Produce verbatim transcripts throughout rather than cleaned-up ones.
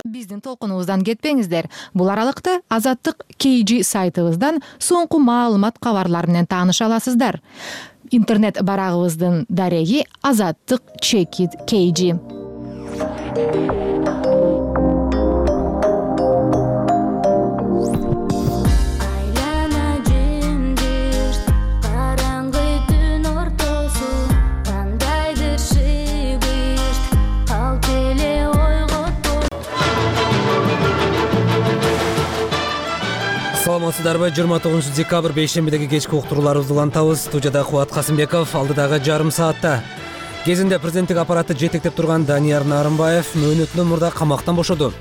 Биздин толкунубуздан кетпеңиздер. Бул аралыкта Азаттык кей джи сайтыбыздан соңку маалымат кабарлар менен тааныша аласыздар. Интернет барагыбыздын дареги Азаттык чекит кей джи. Саламатсыздарбы? жыйырма тогузунчу декабрь бейшембидеги кечки уктурууларыбызды улантабыз. Студияда Кубат Касымбеков. Алдыдагы жарым саатта кезинде президенттик аппаратты жетектеп турган Данияр Нарымбаев мөөнөтүнөн мурда камактан бошоду.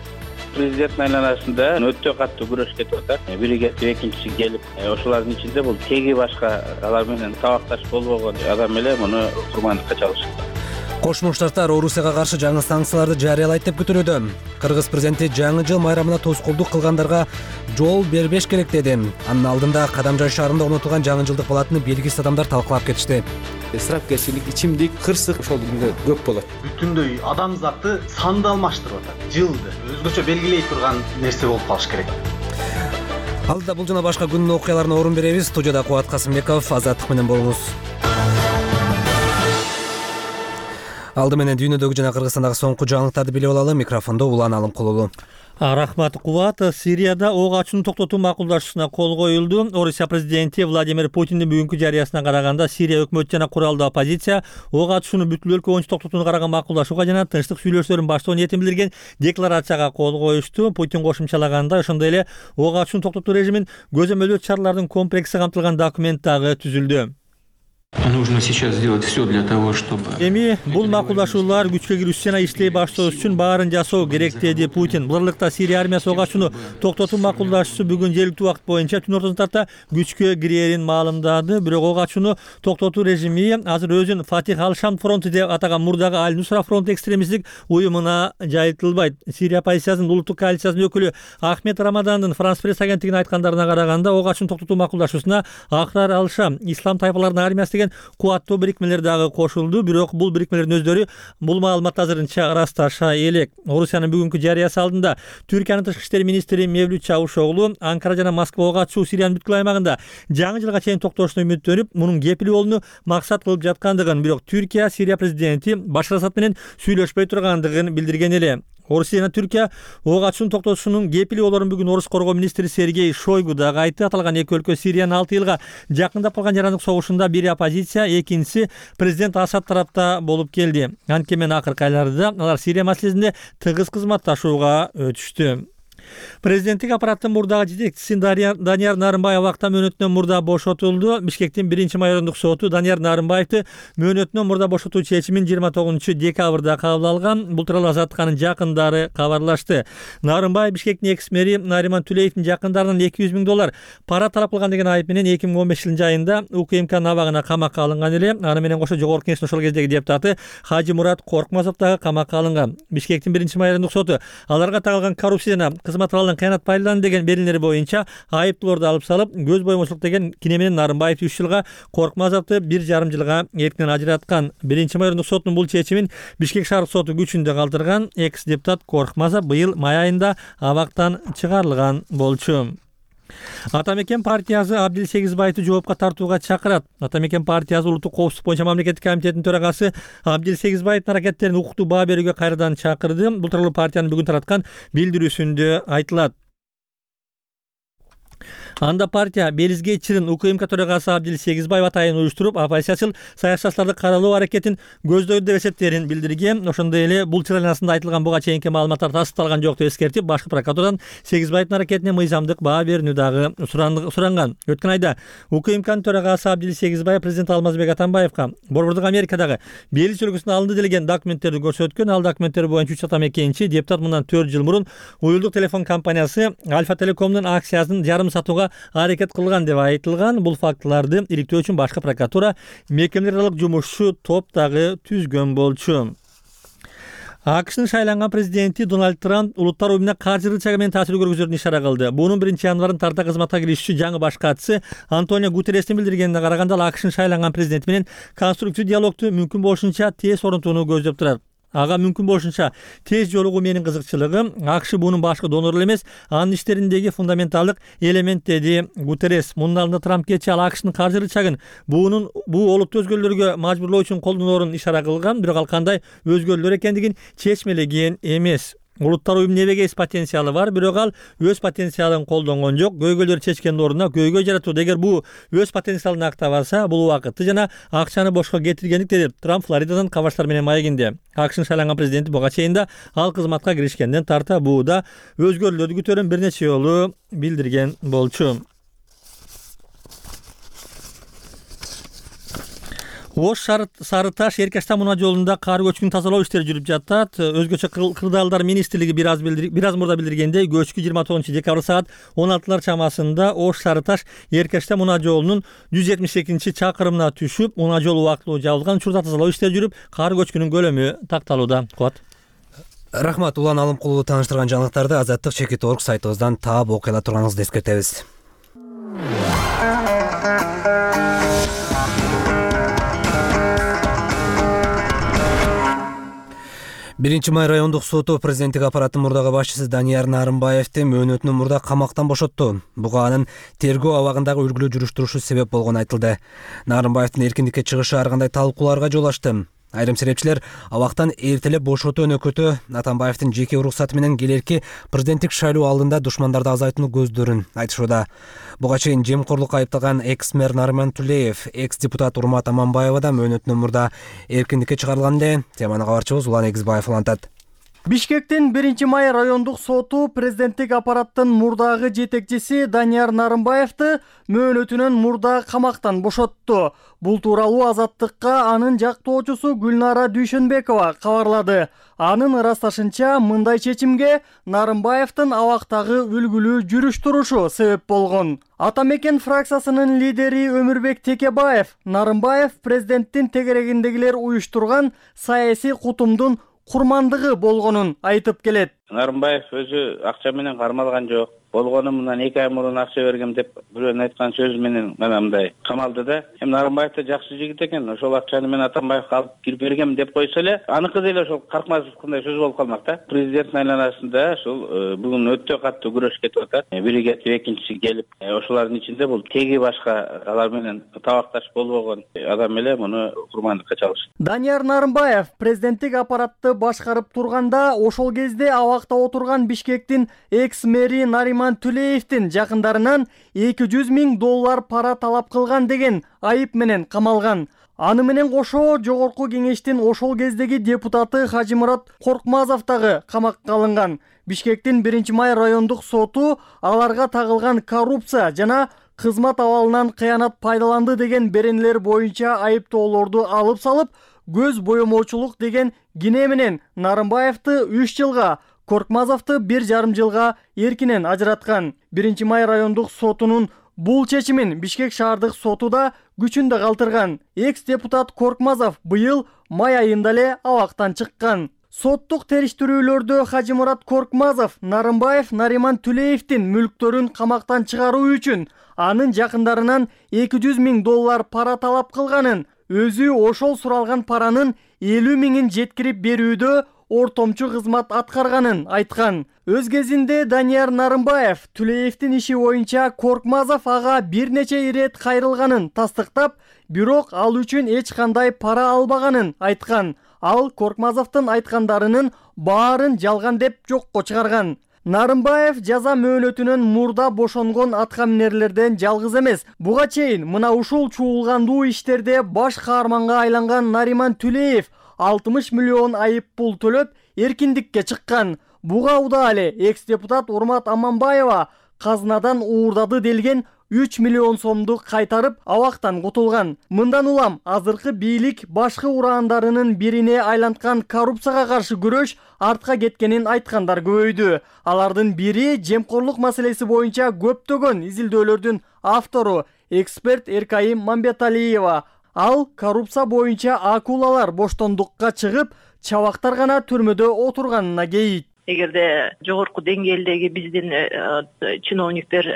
Президенттин айланасында өтө катуу күрөш кетип атат. Бири кетип, экинчиси келип, ошолордун ичинде бул теги башка алар менен табакташ болбогон адам эле муну курмандыкка чалышты. Кошмо Штаттар Орусияга каршы жаңы санкцияларды жарыялайт деп күтүлүүдө. Кыргыз президенти жаңы жыл майрамына тоскоолдук кылгандарга жол бербеш керек деди. Анын алдында Кадамжай шаарында орнотулган жаңы жылдык палатаны белгисиз адамдар талкалап кетишти. Исрапкерчилик, ичимдик, кырсык ошол күндө көп болот. Бүтүндөй адамзатты санды алмаштырып атат. Жылды өзгөчө белгилей турган нерсе болуп калыш керек. Алдыда бул жана башка күндүн окуяларына орун беребиз. Студияда Кубат Касымбеков, Азаттык менен болуңуз. Алды менен дүйнөдөгү жана Кыргызстандагы соңку жаңылыктарды билип алалы. Микрофондо Улан Алымкулулу. Рахмат, Кубат. Сирияда ок ачууну токтотуу макулдашуусуна кол коюлду. Орусия президенти Владимир Путиндин бүгүнкү жарыясына караганда Сирия өкмөтү жана куралдуу оппозиция ок ачууну бүткүл өлкө боюнча токтотууну караган макулдашууга жана тынчтык сүйлөшүүлөрүн баштоо ниетин билдирген декларацияга кол коюшту. Путин кошумчалагандай, ошондой эле ок ачууну токтотуу режимин көзөмөлдөө чаралардын комплекси камтылган документ дагы түзүлдү. Нужно сейчас сделать все для того, чтобы... Эми бул макулдашуулар күчкө кирүүсү жана иштей баштоо үчүн баарын жасоо керек деди Путин. Бул аралыкта Сирия армиясы ок ачууну токтотуу макулдашуусу бүгүн жергиликтүү убакыт боюнча түн ортосуна тарта күчкө кирээрин маалымдады. Бирок ок ачууну токтотуу режими азыр өзүн Фатих ал-Шам фронту деп атаган мурдагы Аль-Нусра фронт экстремисттик уюмуна жайылтылбайт. Сирия оппозициясынын улуттук коалициясынын өкүлү Ахмед Рамадандын Франс пресс агенттигине айткандарына караганда, ок ачууну токтотуу макулдашуусуна Ахрар ал-Шам, ислам тайпаларынын армиясы деген кубаттуу бирикмелер дагы кошулду. Бирок бул бирикмелердин өздөрү бул маалыматты азырынча ырасташа элек. Орусиянын бүгүнкү жарыясы алдында Түркиянын тышкы иштер министри Мевлют Чавушоглу Анкара жана Москва ок ачуу Сириянын бүткүл аймагында жаңы жылга чейин токтошуна үмүттөнүп, мунун кепил болууну максат кылып жаткандыгын, бирок Түркия Сирия президенти Башар Асад менен сүйлөшпөй тургандыгын билдирген эле. Орусия жана Түркия ок ачууну токтотушунун кепили болорун бүгүн Орус коргоо министри Сергей Шойгу дагы айтты. Аталган эки өлкө Сириянын алты жылга жакындап калган жарандык согушунда бири оппозиция, экинчиси президент Асад тарапта болуп келди. Анткени акыркы айларда алар Сирия маселесинде тыгыз кызматташууга өтүштү. Президенттик аппараттын мурдагы жетекчиси Данияр Нарымбаев убакта мөөнөтүнөн мурда бошотулду. Бишкектин биринчи майорундук соту Данияр Нарымбаевди мөөнөтүнөн мурда бошотуу чечимин жыйырма тогузунчу декабрда кабыл алган. Бул тууралуу Азаттыканын жакындары кабарлашты. Нарымбаев Бишкектин экс-мэри Нариман Түлеевдин жакындарынан эки жүз миң доллар пара талап кылган деген айып менен эки миң он бешинчи жылдын айында УКМКнын абагына камакка алынган эле. Аны менен кошо жогорку кеңештин ошол кездеги депутаты Хажи Мурат Коркмазов дагы камакка алынган. Бишкектин биринчи майорундук соту аларга тагылган коррупция жана кызмат абалдан кыянат пайдаланды деген берилери боюнча айыптууларды алып салып, көз боюмушулук деген кине менен Нарымбаевди үч жылга, Коркмазовду бир жарым жылга эркинен ажыраткан. Биринчи майорундук соттун бул чечимин Бишкек шаардык соту күчүндө калтырган. Экс-депутат Коркмазов быйыл май айында абактан чыгарылган болчу. Атамекен партиясы Абдил Сегизбаевди жоопко тартууга чакырат. Атамекен партиясы улуттук коопсуздук боюнча мамлекеттик комитетинин төрагасы Абдил Сегизбаевдин аракеттерин укуктуу баа берүүгө кайрадан чакырды. Бул тууралуу партиянын бүгүн тараткан билдирүүсүндө айтылат. Анда партия Белизге чырын УКМК төрагасы Абдил Сегизбаев атайын уюштуруп, оппозициячыл саясатчыларды каралоо аракетин көздөйдү деп эсептерин билдирген. Ошондой эле бул чырайланасында айтылган буга чейинки маалыматтар тастыкталган жок деп эскертип, башкы прокуратурадан Сегизбаевдин аракетине мыйзамдык баа берүүнү дагы суранган. Өткөн айда УКМКнын төрагасы Абдил Сегизбаев президент Алмазбек Атамбаевга Борбордук Америкадагы Белиз өлкөсүндө алынды делген документтерди көрсөткөн. Ал документтер боюнча үч атамекенчи депутат мындан төрт жыл мурун уюлдук телефон компаниясы Альфа Телекомдун акциясын жарым сатууга аракет кылган деп айтылган. Бул фактыларды иликтөө үчүн башкы прокуратура мекемелер аралык жумушчу топ дагы түзгөн болчу. АКШнын шайланган президенти Дональд Трамп улуттар уюмуна каржы рычагы менен таасир көргөзөрүн ишара кылды. Бунун биринчи январында тарта кызматка киришүүчү жаңы баш катчысы Антонио Гутеррестин билдиргенине караганда, АКШнын шайланган президенти менен конструктив диалогду мүмкүн болушунча тез орнотууну көздөп турат. Ага мүмкүн болушунча тез жолугуу менин кызыкчылыгым. АКШ бунун башкы донору эмес, анын иштериндеги фундаменталдык элемент, деди Гутеррес. Мунун алдында Трамп кечээ ал АКШнын каржы рычагын бунун бул олутту өзгөлөргө мажбурлоо үчүн колдоноорун ишара кылган, бирок ал кандай өзгөлөр экендигин чечмелеген эмес. Улуттар уюмунун эбегейс потенциалы бар, бирок ал өз потенциалын колдонгон жок. Көйгөйлөр чечкендин ордуна көйгөй жаратууда. Эгер бул өз потенциалын актабаса, бул убакытты жана акчаны бошко кетиргендик, деди Трамп Флоридадан Кабаштар менен маегинде. АКШнын шайланган президенти буга чейин да ал кызматка киришкенден тарта бууда өзгөрүүлөрдү күтөрүн бир нече жолу билдирген болчу. Ош Сары Таш Эркештам унаа жолунда кар көчкүн тазалоо иштери жүрүп жатат. Өзгөчө кырдаалдар министрлиги бир аз бир аз мурда билдиргендей, көчкү жыйырма тогузунчу декабрь саат он алтылар чамасында Ош Сары Таш Эркештам унаа жолунун жүз жетимиш экинчи чакырымына түшүп, унаа жолу убактылуу жабылган, учурда тазалоо иштери жүрүп, кар көчкүнүн көлөмү такталууда. Кубат. Рахмат. Улан Алымкуловду тааныштырган жаңылыктарды азаттык чекит точка орг сайтыбыздан таап окуй ала турганыңызды эскертебиз. биринчи май райондук соту президенттик аппараттын мурдагы башчысы Данияр Нарымбаевди мөөнөтүнөн мурда камактан бошотту. Буга анын тергөө абагындагы үлгүлүү жүрүш турушу себеп болгону айтылды. Нарымбаевдин эркиндикке чыгышы ар кандай талкууларга жол ачты. Айрым серепчилер абактан эртелеп бошотуу өнөкөтү Атамбаевдин жеке уруксаты менен келерки президенттик шайлоо алдында душмандарды азайтууну көздөрүн айтышууда. Буга чейин жемкорлукка айыпталган экс-мэр Нариман Тулеев, экс-депутат Урмат Аманбаева да мөөнөтүнөн мурда эркиндикке чыгарылган эле. Теманы кабарчыбыз Улан Эгизбаев улантат. Бишкектин биринчи май райондук соту президенттик аппараттын мурдагы жетекчиси Данияр Нарымбаевди мөөнөтүнөн мурда камактан бошотту. Бул тууралуу Азаттыкка анын жактоочусу Гүлнара Дүйшөнбекова кабарлады. Анын ырасташынча, мындай чечимге Нарымбаевдин абактагы үлгүлүү жүрүш турушу себеп болгон. Ата мекен фракциясынын лидери Өмүрбек Текебаев Нарымбаев президенттин тегерегиндегилер уюштурган саясий кутумдун курмандыгы болгонун айтып келет. Нарымбаев өзү акча менен кармалган жок. Болгону мындан эки ай мурун акча бергем деп бирөөнүн айткан сөзү менен мына мындай камалды да. Эми Нарымбаев да жакшы жигит экен. Ошол акчаны мен Атамбаевге алып кирип бергем деп койсо эле, аныкы деле ошол Каркмазовкундай сөз болуп калмак да. Президенттин айланасында ошол бүгүн өтө катуу күрөш кетип атат. Бири кетип, экинчиси келип, ошолордун ичинде бул теги башка алар менен табакташ болбогон адам эле муну курмандыкка чалышты. Данияр Нарымбаев президенттик аппаратты башкарып турганда ошол кезде абакта отурган Бишкектин экс-мэри Нариман Тулеевдин жакындарынан эки жүз миң доллар пара талап кылган деген айып менен камалган. Аны менен кошо жогорку кеңештин ошол кездеги депутаты Хажимурат Коркмазов дагы камакка алынган. Бишкектин биринчи май райондук соту аларга тагылган коррупция жана кызмат абалынан кыянат пайдаланды деген беренелер боюнча айыптоолорду алып салып, көз боемоочулук деген кине менен Нарымбаевди үч жылга, Коркмазовду бир жарым жылга эркинен ажыраткан. биринчи май райондук сотунун бул чечимин Бишкек шаардык соту да күчүндө калтырган. Экс-депутат Коркмазов быйыл май айында эле абактан чыккан. Соттук териштирүүлөрдө Хажимурат Коркмазов Нарымбаев Нариман Тулеевдин мүлктөрүн камактан чыгаруу үчүн анын жакындарынан эки жүз миң доллар пара талап кылганын, өзү ошол суралган паранын элүү миңин жеткирип берүүдө ортомчу кызмат аткарганын айткан. Өз кезинде Данияр Нарымбаев Тулеевдин иши боюнча Коркмазов ага бир нече ирет кайрылганын тастыктап, бирок ал үчүн эч кандай пара албаганын айткан. Ал Коркмазовдун айткандарынын баарын жалган деп жокко чыгарган. Нарымбаев жаза мөөнөтүнөн мурда бошонгон аткаминерлерден жалгыз эмес. Буга чейин мына ушул чуулгандуу иштерде баш каарманга айланган Нариман Тулеев алтымыш миллион айып пул төлөп эркиндикке чыккан. Буга уда эле экс-депутат Урмат Аманбаева казынадан уурдады делген үч миллион сомду кайтарып абактан кутулган. Мындан улам азыркы бийлик башкы ураандарынын бирине айланткан коррупцияга каршы күрөш артка кеткенин айткандар көбөйдү. Алардын бири жемкорлук маселеси боюнча көптөгөн изилдөөлөрдүн автору эксперт Эркайым Мамбеталиева. Ал коррупция боюнча акулалар боштондукка чыгып, чабактар гана түрмөдө отурганына кейит. Эгерде жогорку деңгээлдеги биздин чиновниктер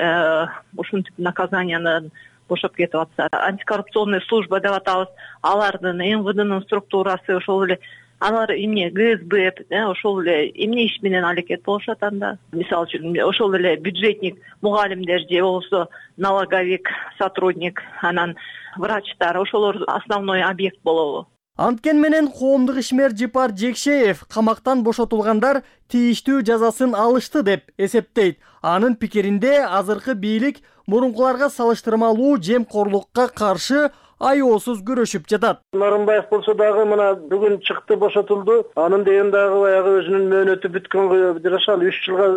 ушинтип наказаниядан бошоп кетип атса, антикоррупционный служба деп атабыз, алардын эм вэ дэнын структурасы ошол эле алар эмне ГСБ ошол эле эмне иш менен аракет болушат анда. Мисалы үчүн ошол эле бюджетник мугалимдер же болбосо налоговик сотрудник, анан врачтар, ошолор основной объект болобу. Анткени менен коомдук ишмер Жипар Жекшеев камактан бошотулгандар тийиштүү жазасын алышты деп эсептейт. Анын пикиринде азыркы бийлик мурункуларга салыштырмалуу жемкорлукка каршы аеосуз күрөшүп жатат. Нарымбаев болсо дагы мына бүгүн чыкты, бошотулду. Анын деген дагы баягы өзүнүн мөөнөтү бүткөнгө жашаган үч жылга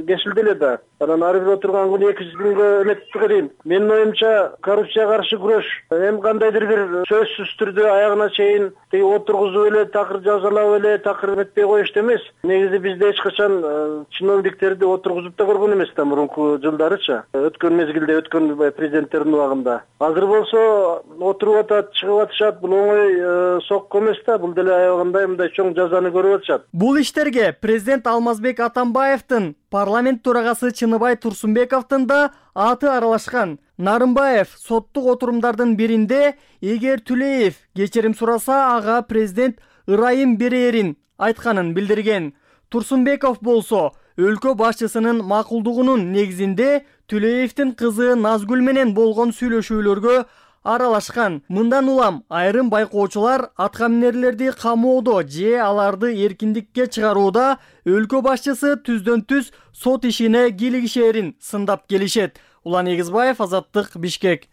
кесилди эле да. Анан ары бир отурган күнү эки жүз күнгө эметип берейин. Менин оюмча коррупцияга каршы күрөш эми кандайдыр бир сөзсүз түрдө аягына чейин тиги отургузуп эле такыр жазалап эле такыр эметпей коюшту эмес. Негизи бизде эч качан чиновниктерди отургузуп да көргөн эмес да мурунку жылдарыча. Өткөн мезгилде, өткөн президенттердин убагында. Азыр болсо отуруп атат, чыгып атышат. Бул оңой сокко эмес да, бул деле аябагандай мындай чоң жазаны көрүп атышат. Бул иштерге президент Алмазбек Атамбаевдин, парламент төрагасы Чыныбай Турсунбековдун да аты аралашкан. Нарымбаев соттук отурумдардын биринде эгер Түлеев кечирим сураса, ага президент ырайым берерин айтканын билдирген. Турсунбеков болсо өлкө башчысынын макулдугунун негизинде Түлеевдин кызы Назгүл менен болгон сүйлөшүүлөргө аралашкан. Мындан улам айрым байкоочулар аткаминерлерди камоодо же аларды эркиндикке чыгарууда өлкө башчысы түздөн түз сот ишине кийлигишерин сындап келишет. Улан Эгизбаев, Азаттык, Бишкек.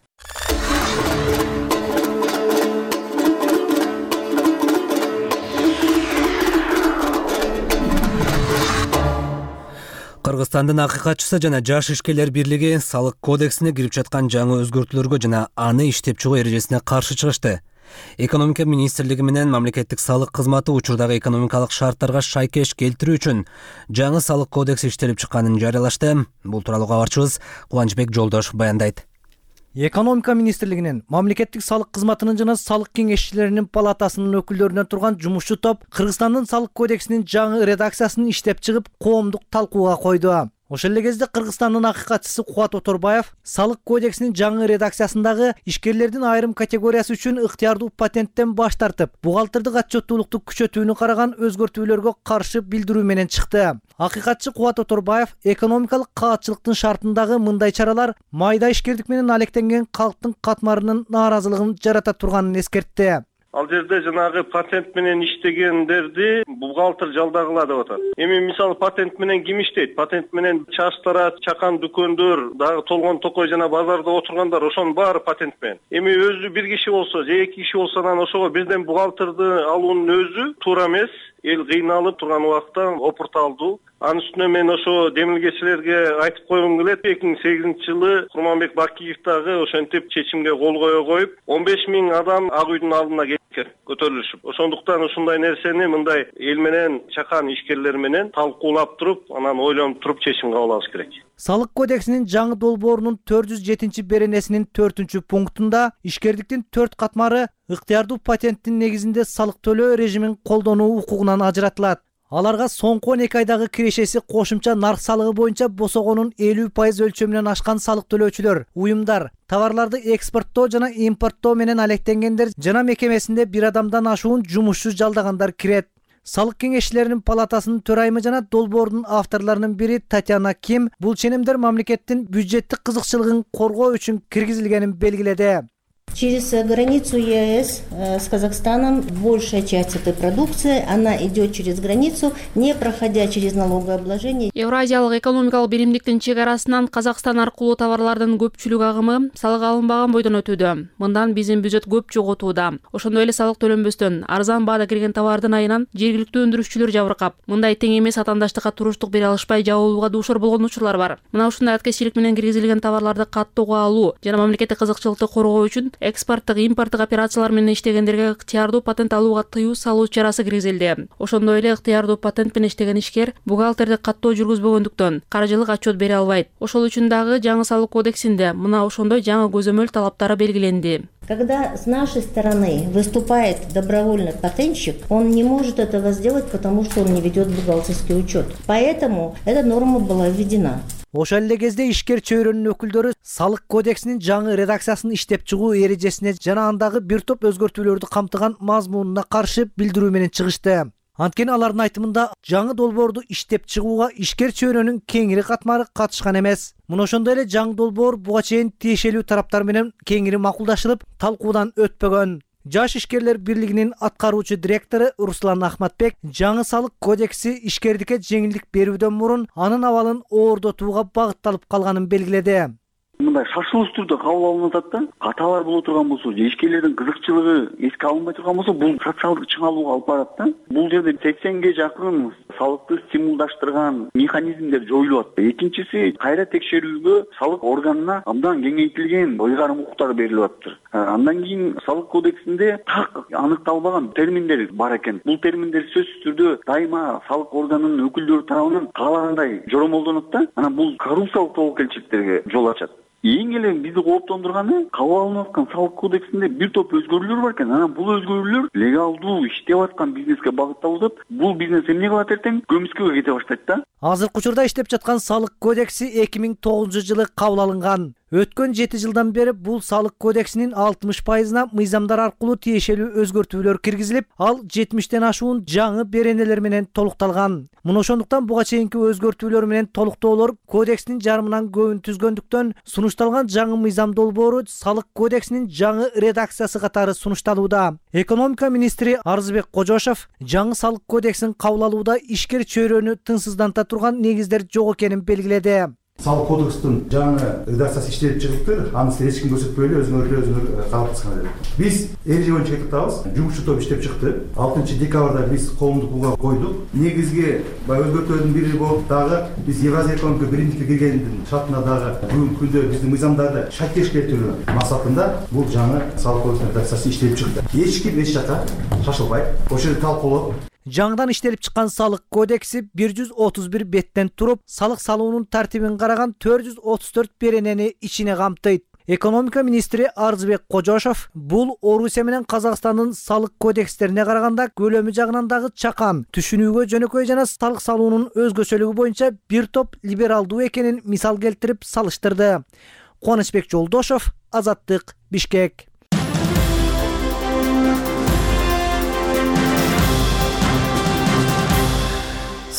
Кыргызстандын акыйкатчысы жана жаш ишкерлер бирлиги салык кодексине кирип жаткан жаңы өзгөртүүлөргө жана аны иштеп чыгуу эрежесине каршы чыгышты. Экономика министрлиги менен мамлекеттик салык кызматы учурдагы экономикалык шарттарга шайкеш келтирүү үчүн жаңы салык кодекси иштелип чыкканын жарыялашты. Бул тууралуу кабарчыбыз Кубанычбек Жолдош баяндайт. Экономика министрлигинин, мамлекеттик салык кызматынын жана салык кеңешчилеринин палатасынын өкүлдөрүнөн турган жумушчу топ Кыргызстандын салык кодексинин жаңы редакциясын иштеп чыгып, коомдук талкууга койду. Ошол эле кезде Кыргызстандын акыйкатчысы Кубат Оторбаев салык кодексинин жаңы редакциясындагы ишкерлердин айрым категориясы үчүн ыктыярдуу патенттен баш тартып, бухгалтердик отчеттуулукту күчөтүүнү караган өзгөртүүлөргө каршы билдирүү менен чыкты. Акыйкатчы Кубат Оторбаев экономикалык каатчылыктын шартындагы мындай чаралар майда ишкердик менен алектенген калктын катмарынын нааразылыгын жарата турганын эскертти. Ал жерде жанагы патент менен иштегендерди бухгалтер жалдагыла деп атат. Эми мисалы патент менен ким иштейт? Патент менен чаштара, чакан дүкөндөр, дагы толгон токой жана базарда отургандар, ошонун баары патент менен. Эми өзү бир киши болсо, же эки киши болсо, анан ошого бирден бухгалтерди алуунун өзү туура эмес. Эл кыйналып турган убакта опурталдуу. Анын үстүнө мен ошо демилгечилерге айтып койгум келет. эки миң сегизинчи жылы Курманбек Бакиев дагы ошентип чечимге кол кое коюп, он беш миң адам Ак үйдүн алдына келген, көтөрүлүшүп. Ошондуктан ушундай нерсени мындай эл менен, чакан ишкерлер менен талкуулап туруп, анан ойлонуп туруп чечим кабыл алыш керек. Салык кодексинин жаңы долбоорунун төрт жүз жетинчи беренесинин төртүнчү пунктунда ишкердиктин төрт катмары ыктыярдуу патенттин негизинде салык төлөө режимин колдонуу укугунан ажыратылат. Аларга соңку он эки айдагы кирешеси кошумча нарк салыгы боюнча босогонун элүү пайыз өлчөмүнөн ашкан салык төлөөчүлөр, уюмдар, товарларды экспорттоо жана импорттоо менен алектенгендер жана мекемесинде бир адамдан ашуун жумушчу жалдагандар кирет. Салык кеңешчилеринин палатасынын төрайымы жана долбоордун авторлорунун бири Татьяна Ким бул ченемдер мамлекеттин бюджеттик кызыкчылыгын коргоо үчүн киргизилгенин белгиледи. Через границу ЕАЭС с Казахстаном большая часть этой продукции, она идет через границу, не проходя через налогообложение. Евразиялык экономикалык биримдиктин чек арасынан Казакстан аркылуу товарлардын көпчүлүк агымы салык алынбаган бойдон өтүүдө. Мындан биздин бюджет көп жоготууда. Ошондой эле салык төлөнбөстөн арзан баада кирген товардын айынан жергиликтүү өндүрүшчүлөр жабыркап, мындай тең эмес атаандаштыкка туруштук бере алышпай жабылууга дуушар болгон учурлар бар. Мына ушундай аткезчилик менен киргизилген товарларды каттоого алуу жана мамлекеттик кызыкчылыкты коргоо үчүн экспорттук, импорттук операциялар менен иштегендерге ыктыярдуу патент алууга тыюу салуу чарасы киргизилди. Ошондой эле ыктыярдуу патент менен иштеген ишкер бухгалтердик каттоо жүргүзбөгөндүктөн каржылык отчет бере албайт. Ошол үчүн дагы жаңы салык кодексинде мына ошондой жаңы көзөмөл талаптары белгиленди. Когда с нашей стороны выступает добровольный патентщик, он не может этого сделать, потому что он не ведет бухгалтерский учет. Поэтому эта норма была введена. Ошол эле кезде ишкер чөйрөнүн өкүлдөрү салык кодексинин жаңы редакциясын иштеп чыгуу эрежесине жана андагы бир топ өзгөртүүлөрдү камтыган мазмунуна каршы билдирүү менен чыгышты. Анткени алардын айтымында жаңы долбоорду иштеп чыгууга ишкер чөйрөнүн кеңири катмары катышкан эмес. Мына ошондой эле жаңы долбоор буга чейин тиешелүү тараптар менен кеңири макулдашылып, талкуудан өтпөгөн. Жаш ишкерлер бирлигинин аткаруучу директору Руслан Ахматбек жаңы салык кодекси ишкердикке жеңилдик берүүдөн мурун анын абалын оордотууга багытталып калганын белгиледи. Мындай шашылыш түрдө кабыл алынып атат да, каталар боло турган болсо, же ишкерлердин кызыкчылыгы эске алынбай турган болсо, бул социалдык чыңалууга алып барат да. Бул жерде сексенге жакын салыкты стимулдаштырган механизмдер жоюлуп атты. Экинчиси, кайра текшерүүгө салык органына абдан кеңейтилген ыйгарым укуктар берилип атты. Андан кийин салык кодексинде так аныкталбаган терминдер бар экен. Бул терминдер сөзсүз түрдө дайыма салык органынын өкүлдөрү тарабынан каалагандай жоромолдонот да. Анан бул коррупциялык тобокелчиликтерге жол ачат. Эң эле бизди кооптондурганы кабыл алынып аткан салык кодексинде бир топ өзгөрүүлөр бар экен. Анан бул өзгөрүүлөр легалдуу иштеп аткан бизнеске багытталып атат. Бул бизнес эмне кылат эртең? Көмүскөгө кете баштайт да. Азыркы учурда иштеп жаткан салык кодекси эки миң тогузунчу жылы кабыл алынган. Өткөн жети жылдан бери бул салык кодексинин алтымыш пайызына мыйзамдар аркылуу тиешелүү өзгөртүүлөр киргизилип, ал жетимиштен ашуун жаңы беренелер менен толукталган. Мына ошондуктан буга чейинки өзгөртүүлөр менен толуктоолор кодекстин жарымынан көбүн түзгөндүктөн сунушталган жаңы мыйзам долбоору салык кодексинин жаңы редакциясы катары сунушталууда. Экономика министри Арзыбек Кожошов жаңы салык кодексин кабыл алууда ишкер чөйрөнү тынчсызданта турган негиздер жок экенин белгиледи. Салык кодекстин жаңы редакциясы иштелип чыгыптыр. Анысын эч ким көрсөтпөй эле өзүңөр өзүңөр калыптырсыңар деп. Биз эреже боюнча кетип атабыз. Жумушчу топ иштеп чыкты. алтынчы декабрда биз коомдук буга койдук. Негизги баягы өзгөртүүлөрдүн бири болуп дагы биз Евразия экономикалык биримдикке киргендин шартына дагы бүгүнкү күндө биздин мыйзамдарды шакеш келтирүү максатында бул жаңы салык кодексинин редакциясы иштелип чыкты. Эч ким эч жака шашылбайт. Ошол жерде талкуулоп жаңыдан иштелип чыккан салык кодекси бир жүз отуз бир беттен туруп, салык салуунун тартибин караган төрт жүз отуз төрт беренени ичине камтыйт. Экономика министри Арзыбек Кожошов бул Орусия менен Казакстандын салык кодекстерине караганда көлөмү жагынан дагы чакан, түшүнүүгө жөнөкөй жана салык салуунун өзгөчөлүгү боюнча бир топ либералдуу экенин мисал келтирип салыштырды. Кубанычбек Жолдошов, Азаттык, Бишкек.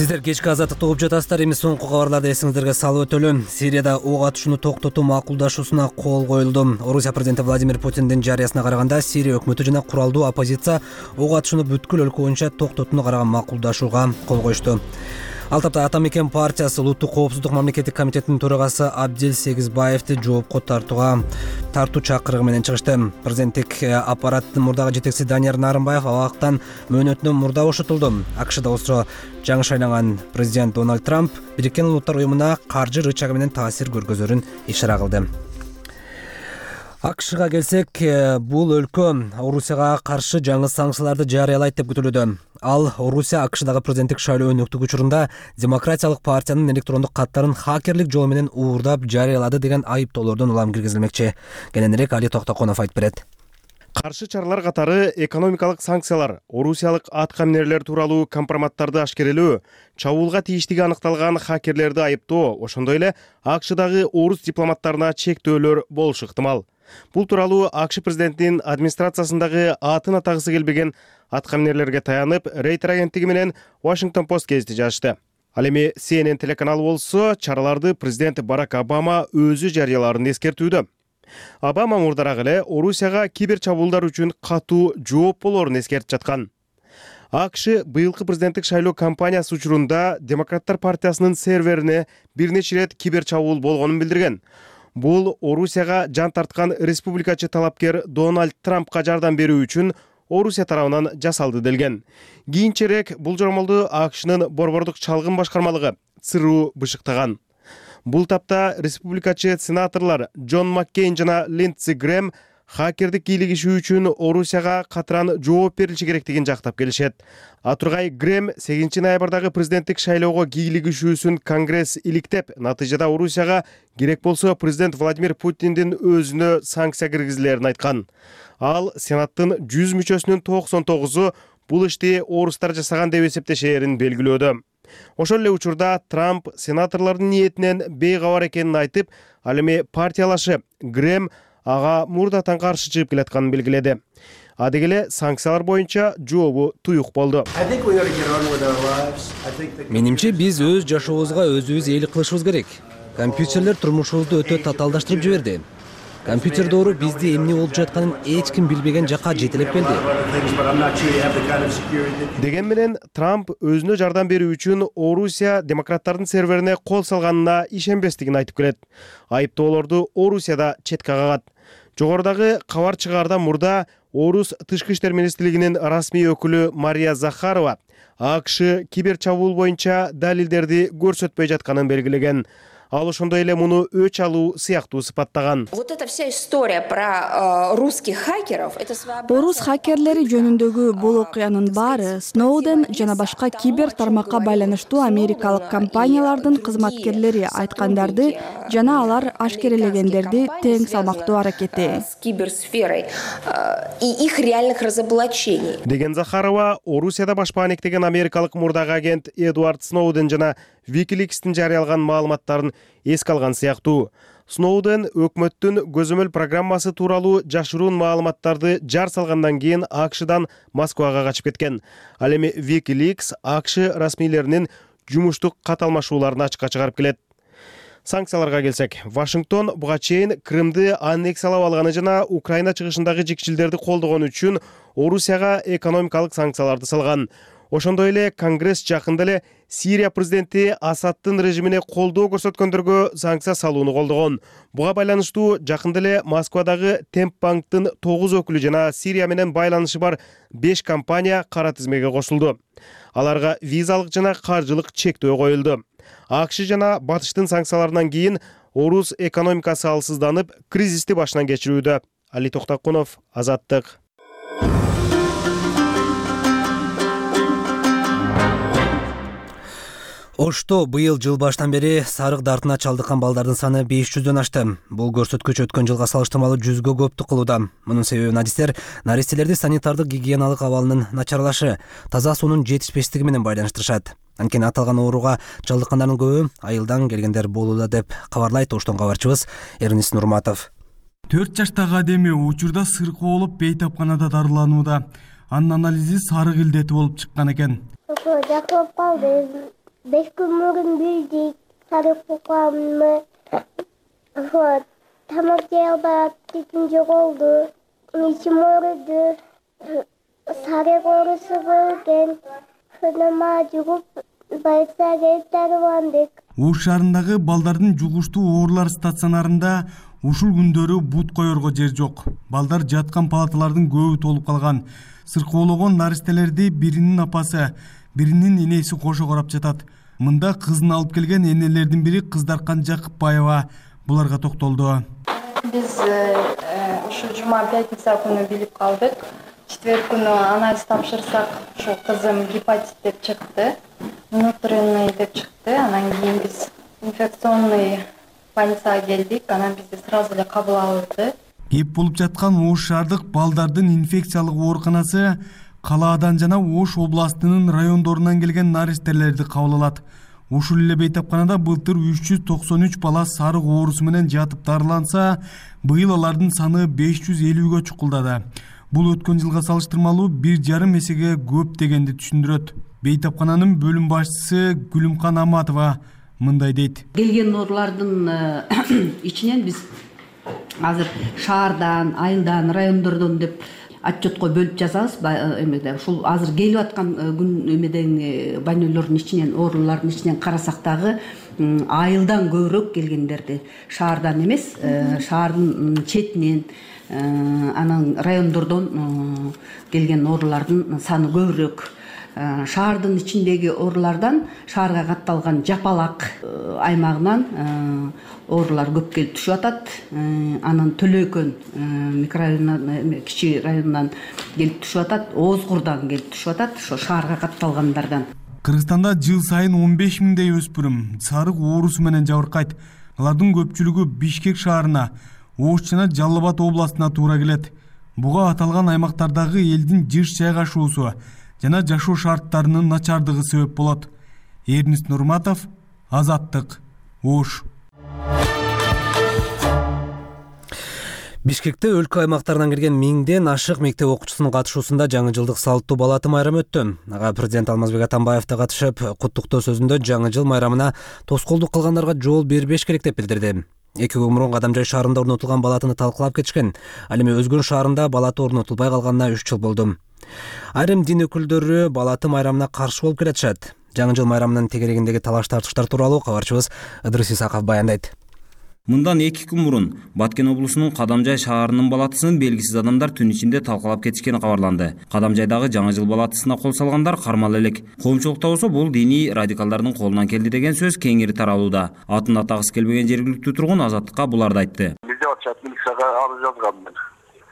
Сиздер кечки азаттыкты угуп жатасыздар. Эми соңку кабарларды эсиңиздерге салып өтөлүм. Сирияда ок атышууну токтотуу макулдашуусуна кол коюлду. Орусия президенти Владимир Путиндин жарыясына караганда, Сирия өкмөтү жана куралдуу оппозиция ок атышууну бүткүл өлкө боюнча токтотууну караган макулдашууга кол коюшту. Ал тапта Ата мекен партиясы Улуттук коопсуздук мамлекеттик комитетинин төрагасы Абдил Сегизбаевди жоопко тартууга тартуу чакырыгы менен чыгышты. Президенттик аппараттын мурдагы жетекчиси Данияр Нарымбаев абактан мөөнөтүнөн мурда бошотулду. АКШда болсо жаңы шайланган президент Дональд Трамп Бириккен Улуттар уюмуна каржы рычагы менен таасир көргөзөрүн ишара кылды. АКШга келсек, бул өлкө Орусияга каршы жаңы санкцияларды жарыялайт деп күтүлүүдө. Ал Орусия АКШдагы президенттик шайлоо өнөктүк учурунда Демократиялык партиянын электрондук каттарын хакерлик жолу менен уурдап жарыялады деген айыптоолордон улам киргизилмекчи. Кененирээк Али Токтоконов айтып берет. Каршы чаралар катары экономикалык санкциялар, орусиялык атка минерлер тууралуу компроматтарды ашкерелөө, чабуулга тийиштиги аныкталган хакерлерди айыптоо, ошондой эле АКШдагы орус дипломаттарына чектөөлөр болушу ыктымал. Бул тууралуу АКШ президентинин администрациясындагы атын атагысы келбеген атка минерлерге таянып, Рейтер агенттиги менен Washington Post гезити жазышты. Ал эми Си Эн Эн телеканалы болсо, чараларды президент Барак Обама өзү жарыяларын эскертүүдө. Обама мурдараак эле Орусияга кибер чабуулдар үчүн катуу жооп болорун эскертип жаткан. АКШ быйылкы президенттик шайлоо кампаниясы учурунда Демократтар партиясынын серверине бир нече ирет кибер чабуул болгонун билдирген. Бул Орусияга жан тарткан республикачы талапкер Дональд Трампка жардам берүү үчүн Орусия тарабынан жасалды делген. Кийинчерээк бул жоромолду АКШнын борбордук чалгын башкармалыгы ЦРУ бышыктаган. Бул тапта республикачы сенаторлор Джон Маккейн жана Линдси Грэм хакердик кийлигишүү үчүн Орусияга катыран жооп берилиши керектигин жактап келишет. Атургай Грэм сегизинчи ноябрдагы президенттик шайлоого кийлигишүүсүн Конгресс иликтеп, натыйжада Орусияга керек болсо президент Владимир Путиндин өзүнө санкция киргизилерин айткан. Ал Сенаттын жүз мүчөсүнүн токсон тогузу бул ишти орустар жасаган деп эсептешээрин белгилөөдө. Ошол эле учурда Трамп сенаторлордун ниетинен бейкабар экенин айтып, ал эми партиялашы Грэм ага мурдатан каршы чыгып келатканын белгиледи. Адегеле санкциялар боюнча жообу туюк болду. Менимче биз өз жашообузга өзүбүз ээлик кылышыбыз керек. Компьютерлер турмушубузду өтө татаалдаштырып жиберди. Компьютер доору бизди эмне болуп жатканын эч ким билбеген жакка жетелеп келди. Деген менен Трамп өзүнө жардам берүү үчүн Орусия демократтардын серверине кол салганына ишенбестигин айтып келет. Айыптоолорду Орусияда четке кагат. Жогорудагы кабар чыгаардан мурда Орус тышкы иштер министрлигинин расмий өкүлү Мария Захарова АКШ кибер чабуул боюнча далилдерди көрсөтпөй жатканын белгилеген. Ал ошондой эле муну өч алуу сыяктуу сыпаттаган. Вот эта вся история про русских хакеров, это своеобразие. Орус хакерлери жөнүндөгү бул окуянын баары Сноуден жана башка кибер тармакка байланыштуу америкалык компаниялардын кызматкерлери айткандарды жана алар ашкерелегендерди тең салмактуу аракети. С киберсферой и их реальных разоблачений. Деген Захарова Орусияда баш баанектеген америкалык мурдагы агент Эдвард Сноуден жана Wikileaks'тин жарыялаган маалыматтарын эске алган сыяктуу. Сноуден өкмөттүн көзөмөл программасы тууралуу жашыруун маалыматтарды жар салгандан кийин АКШдан Москвага качып кеткен. Ал эми Wikileaks АКШ расмийлеринин жумуштук каталмашууларын ачыкка чыгарып келет. Санкцияларга келсек, Вашингтон буга чейин Крымды аннексиялап алганы жана Украина чыгышындагы жикчилдерди колдогон үчүн Орусияга экономикалык санкцияларды салган. Ошондой эле Конгресс жакында эле Сирия президенти Асадтын режимине колдоо көрсөткөндөргө санкция салууну колдогон. Буга байланыштуу жакында эле Москвадагы Темпбанктын тогуз өкүлү жана Сирия менен байланышы бар беш компания кара тизмеге кошулду. Аларга визалык жана каржылык чектөө коюлду. АКШ жана Батыштын санкцияларынан кийин Орус экономикасы алсызданып, кризисти башынан кечирүүдө. Али Токтокунов, Азаттык. Ошто быйыл жыл баштан бери сарык дартына чалдыккан балдардын саны беш жүздөн ашты. Бул көрсөткүч өткөн жылга салыштырмалуу жүзгө көптүк кылууда. Мунун себебин адистер наристелерди санитардык гигиеналык абалынын начарлашы, таза суунун жетишпештиги менен байланыштырышат. Анткени аталган ооруга чалдыккандардын көбү айылдан келгендер болууда деп кабарлайт Оштон кабарчыбыз Эрнис Нурматов. төрт жаштагы адеме учурда сыркы болуп бейтапканада дарыланууда. Анын анализи сарык илдети болуп чыккан экен. Жакылып калды. Беш күн мурун билдик, сарык букамны. Тамак жей албай аптеким жоголду. Ичим ооруду. Сарык оорусу болгон. Фынама жугуп, больницага дарыландык. Ош шаарындагы балдардын жугуштуу оорулар стационарында ушул күндөрү бут коерго жер жок. Балдар жаткан палаталардын көбү толуп калган. Сыркоологон наристелерди биринин апасы, биринин энеси кошо карап жатат. Мында кызын алып келген энелердин бири Кыздаркан Жакыпбаева буларга токтолду. Биз ушу жума пятница күнү билип калдык. Четверг күнү анализ тапшырсак, ошо кызым гепатит деп чыкты. Внутренний деп чыкты. Анан кийин биз инфекционный больницага келдик. Анан бизди сразу эле кабыл алды. Кеп болуп жаткан Ош шаардык балдардын инфекциялык ооруканасы калаадан жана Ош областынын райондорунан келген наристелерди кабыл алат. Ушул эле бейтапканада былтыр үч жүз токсон үч бала сарык оорусу менен жатып дарыланса, быйыл алардын саны беш жүз элүүгө чукулдады. Бул өткөн жылга салыштырмалуу бир жарым эсеге көп дегенди түшүндүрөт. Бейтапкананын бөлүм башчысы Гүлүмкан Аматова мындай дейт. Келген оорулардын ичинен биз азыр шаардан, айылдан, райондордон деп отчетко бөлүп жазабыз. Эмеде ушул азыр келип аткан күн эмеден больнойлордун ичинен, оорулардын ичинен карасак дагы айылдан көбүрөөк келгендерди, шаардан эмес, шаардын четинен, анан райондордон келген оорулардын саны көбүрөөк. Шаардын ичиндеги оорулардан шаарга катталган Жапалак аймагынан оорулар көп келип түшүп атат. Анан Төлөкөн микрорайонунан, кичи районунан келип түшүп атат, Озгурдан келип түшүп атат, ошо шаарга катталгандардан. Кыргызстанда жыл сайын он беш миңдей өспүрүм сарык оорусу менен жабыркайт. Алардын көпчүлүгү Бишкек шаарына, Ош жана Жалал Абад областына туура келет. Буга аталган аймактардагы элдин жыш жайгашуусу жана жашоо шарттарынын начардыгы себеп болот. Эрнист Нурматов, Азаттык, Ош. Бишкекте өлкө аймактарынан келген миңден ашык мектеп окуучусунун катышуусунда жаңы жылдык салттуу балаты майрамы өттү. Ага президент Алмазбек Атамбаев да катышып, куттуктоо сөзүндө жаңы жыл майрамына тоскоолдук кылгандарга жол бербеш керек деп билдирди. Эки күн мурун Кадамжай шаарында орнотулган балатыны талкуулап кетишкен. Ал эми Өзгөн шаарында балаты орнотулбай калганына үч жыл болду. Айрым дин өкүлдөрү балаты майрамына каршы болуп келатышат. Жаңы жыл майрамынын тегерегиндеги талаш тартыштар тууралуу кабарчыбыз Ыдырыс Исаков баяндайт. Мындан эки күн мурун Баткен облусунун Кадамжай шаарынын балатысын белгисиз адамдар түн ичинде талкалап кетишкени кабарланды. Кадамжайдагы жаңы жыл балатысына кол салгандар кармала элек. Коомчулукта болсо бул диний радикалдардын колунан келди деген сөз кеңири таралууда. Атын атагысы келбеген жергиликтүү тургун Азаттыкка буларды айтты. Бизде атчат милицияга арыз жазганмын.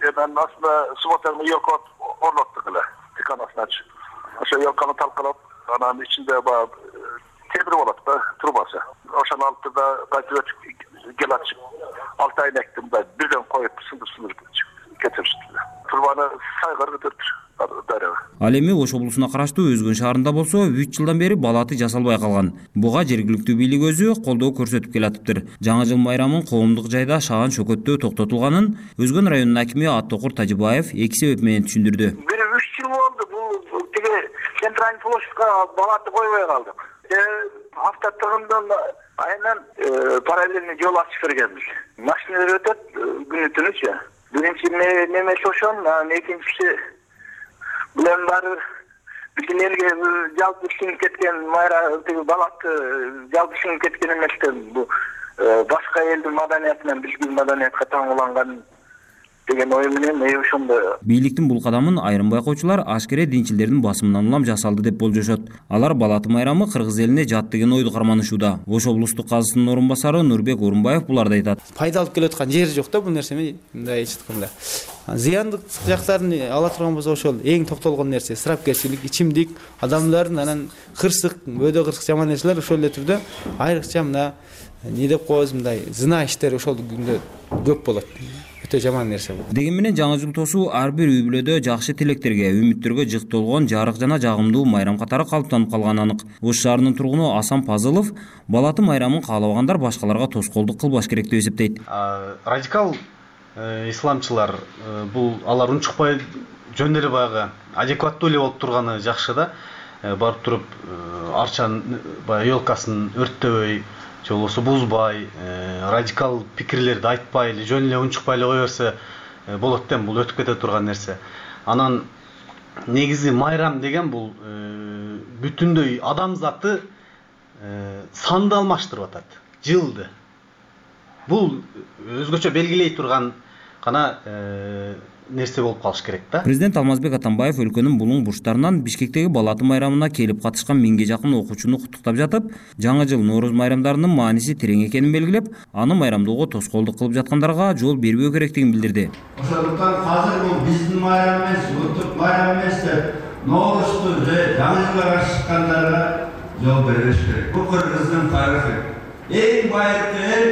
Мен аслында субботаны елка орноттук эле. Тиканасына чыгып. Ошо елканы талкалап, анан ичинде баягы темир болот да, трубасы. Ошону алып да кайтып гел ачып, алты айнекти мындай бирден коюп сындырып-сындырып кетиришти. Трубаны сайгар көтөрүп дарыга. Ал эми Ош облусуна караштуу Өзгөн шаарында болсо үч жылдан бери балаты жасалбай калган. Буга жергиликтүү бийлик өзү колдоо көрсөтүп келатыптыр. Жаңы жыл майрамын коомдук жайда шаан шөкөттөө токтотулганын Өзгөн районунун акими Аттокур Тажыбаев эки себеп менен түшүндүрдү. Бир үч жыл болду бул тиги центральный площадька балаты койбой калдык. Автотурундан айынан параллельный жол ачып бергенбиз. Машиналар өтөт күнү түнүчү. Биринчи немеси ошон, анан экинчиси булар баары биздин элге жалпы сиңип кеткен майра тиги балаты жалпы сиңип кеткен эместен бул башка элдин маданиятынан биздин маданиятка таңууланган деген ой менен мен ошондо. Бийликтин бул кадамын айрым байкоочулар ашкере динчилердин басымынан улам жасалды деп болжошот. Алар балаты майрамы кыргыз элине жат деген ойду карманышууда. Ош облустук казысынын орун басары Нурбек Орунбаев буларды айтат. Пайда алып келаткан жери жок да бул нерсени, мындай айтканда. Зыяндык жактарын ала турган болсо ошол эң токтолгон нерсе ысырапкерчилик, ичимдик, адамдардын анан кырсык, бөөдө кырсык жаман нерселер ошол эле түрдө айрыкча мына не деп коебуз мындай зына иштер ошол күндө көп болот. Өтө жаман нерсе бул. Деген менен жаңы жыл тосуу ар бир үй бүлөдө жакшы тилектерге, үмүттөргө жык толгон жарык жана жагымдуу майрам катары калыптанып калганы анык. Ош шаарынын тургуну Асан Пазылов балаты майрамын каалабагандар башкаларга тоскоолдук кылбаш керек деп эсептейт. Радикал исламчылар бул алар унчукпай жөн эле баягы адекваттуу эле болуп турганы жакшы да. Барып туруп арчанын баягы ёлкасын өрттөбөй, же болбосо бузбай, радикал пикирлерди айтпай эле, жөн эле унчукпай эле кое берсе болот да, бул өтүп кете турган нерсе. Анан негизи майрам деген бул бүтүндөй адамзатты санды алмаштырып атат, жылды. Бул өзгөчө белгилей турган гана нерсе болуп калыш керек да. Президент Алмазбек Атамбаев өлкөнүн булуң бурчтарынан Бишкектеги балаты майрамына келип катышкан миңге жакын окуучуну куттуктап жатып, жаңы жыл Нооруз майрамдарынын мааниси терең экенин белгилеп, аны майрамдоого тоскоолдук кылып жаткандарга жол бербөө керектигин билдирди. Ошондуктан азыр бул биздин майрам эмес, улуттук майрам эмес деп Ноорузду же жаңы жылга каршы чыккандарга жол бербеш керек. Бул кыргыздын тарыхы. Эң байыркы эл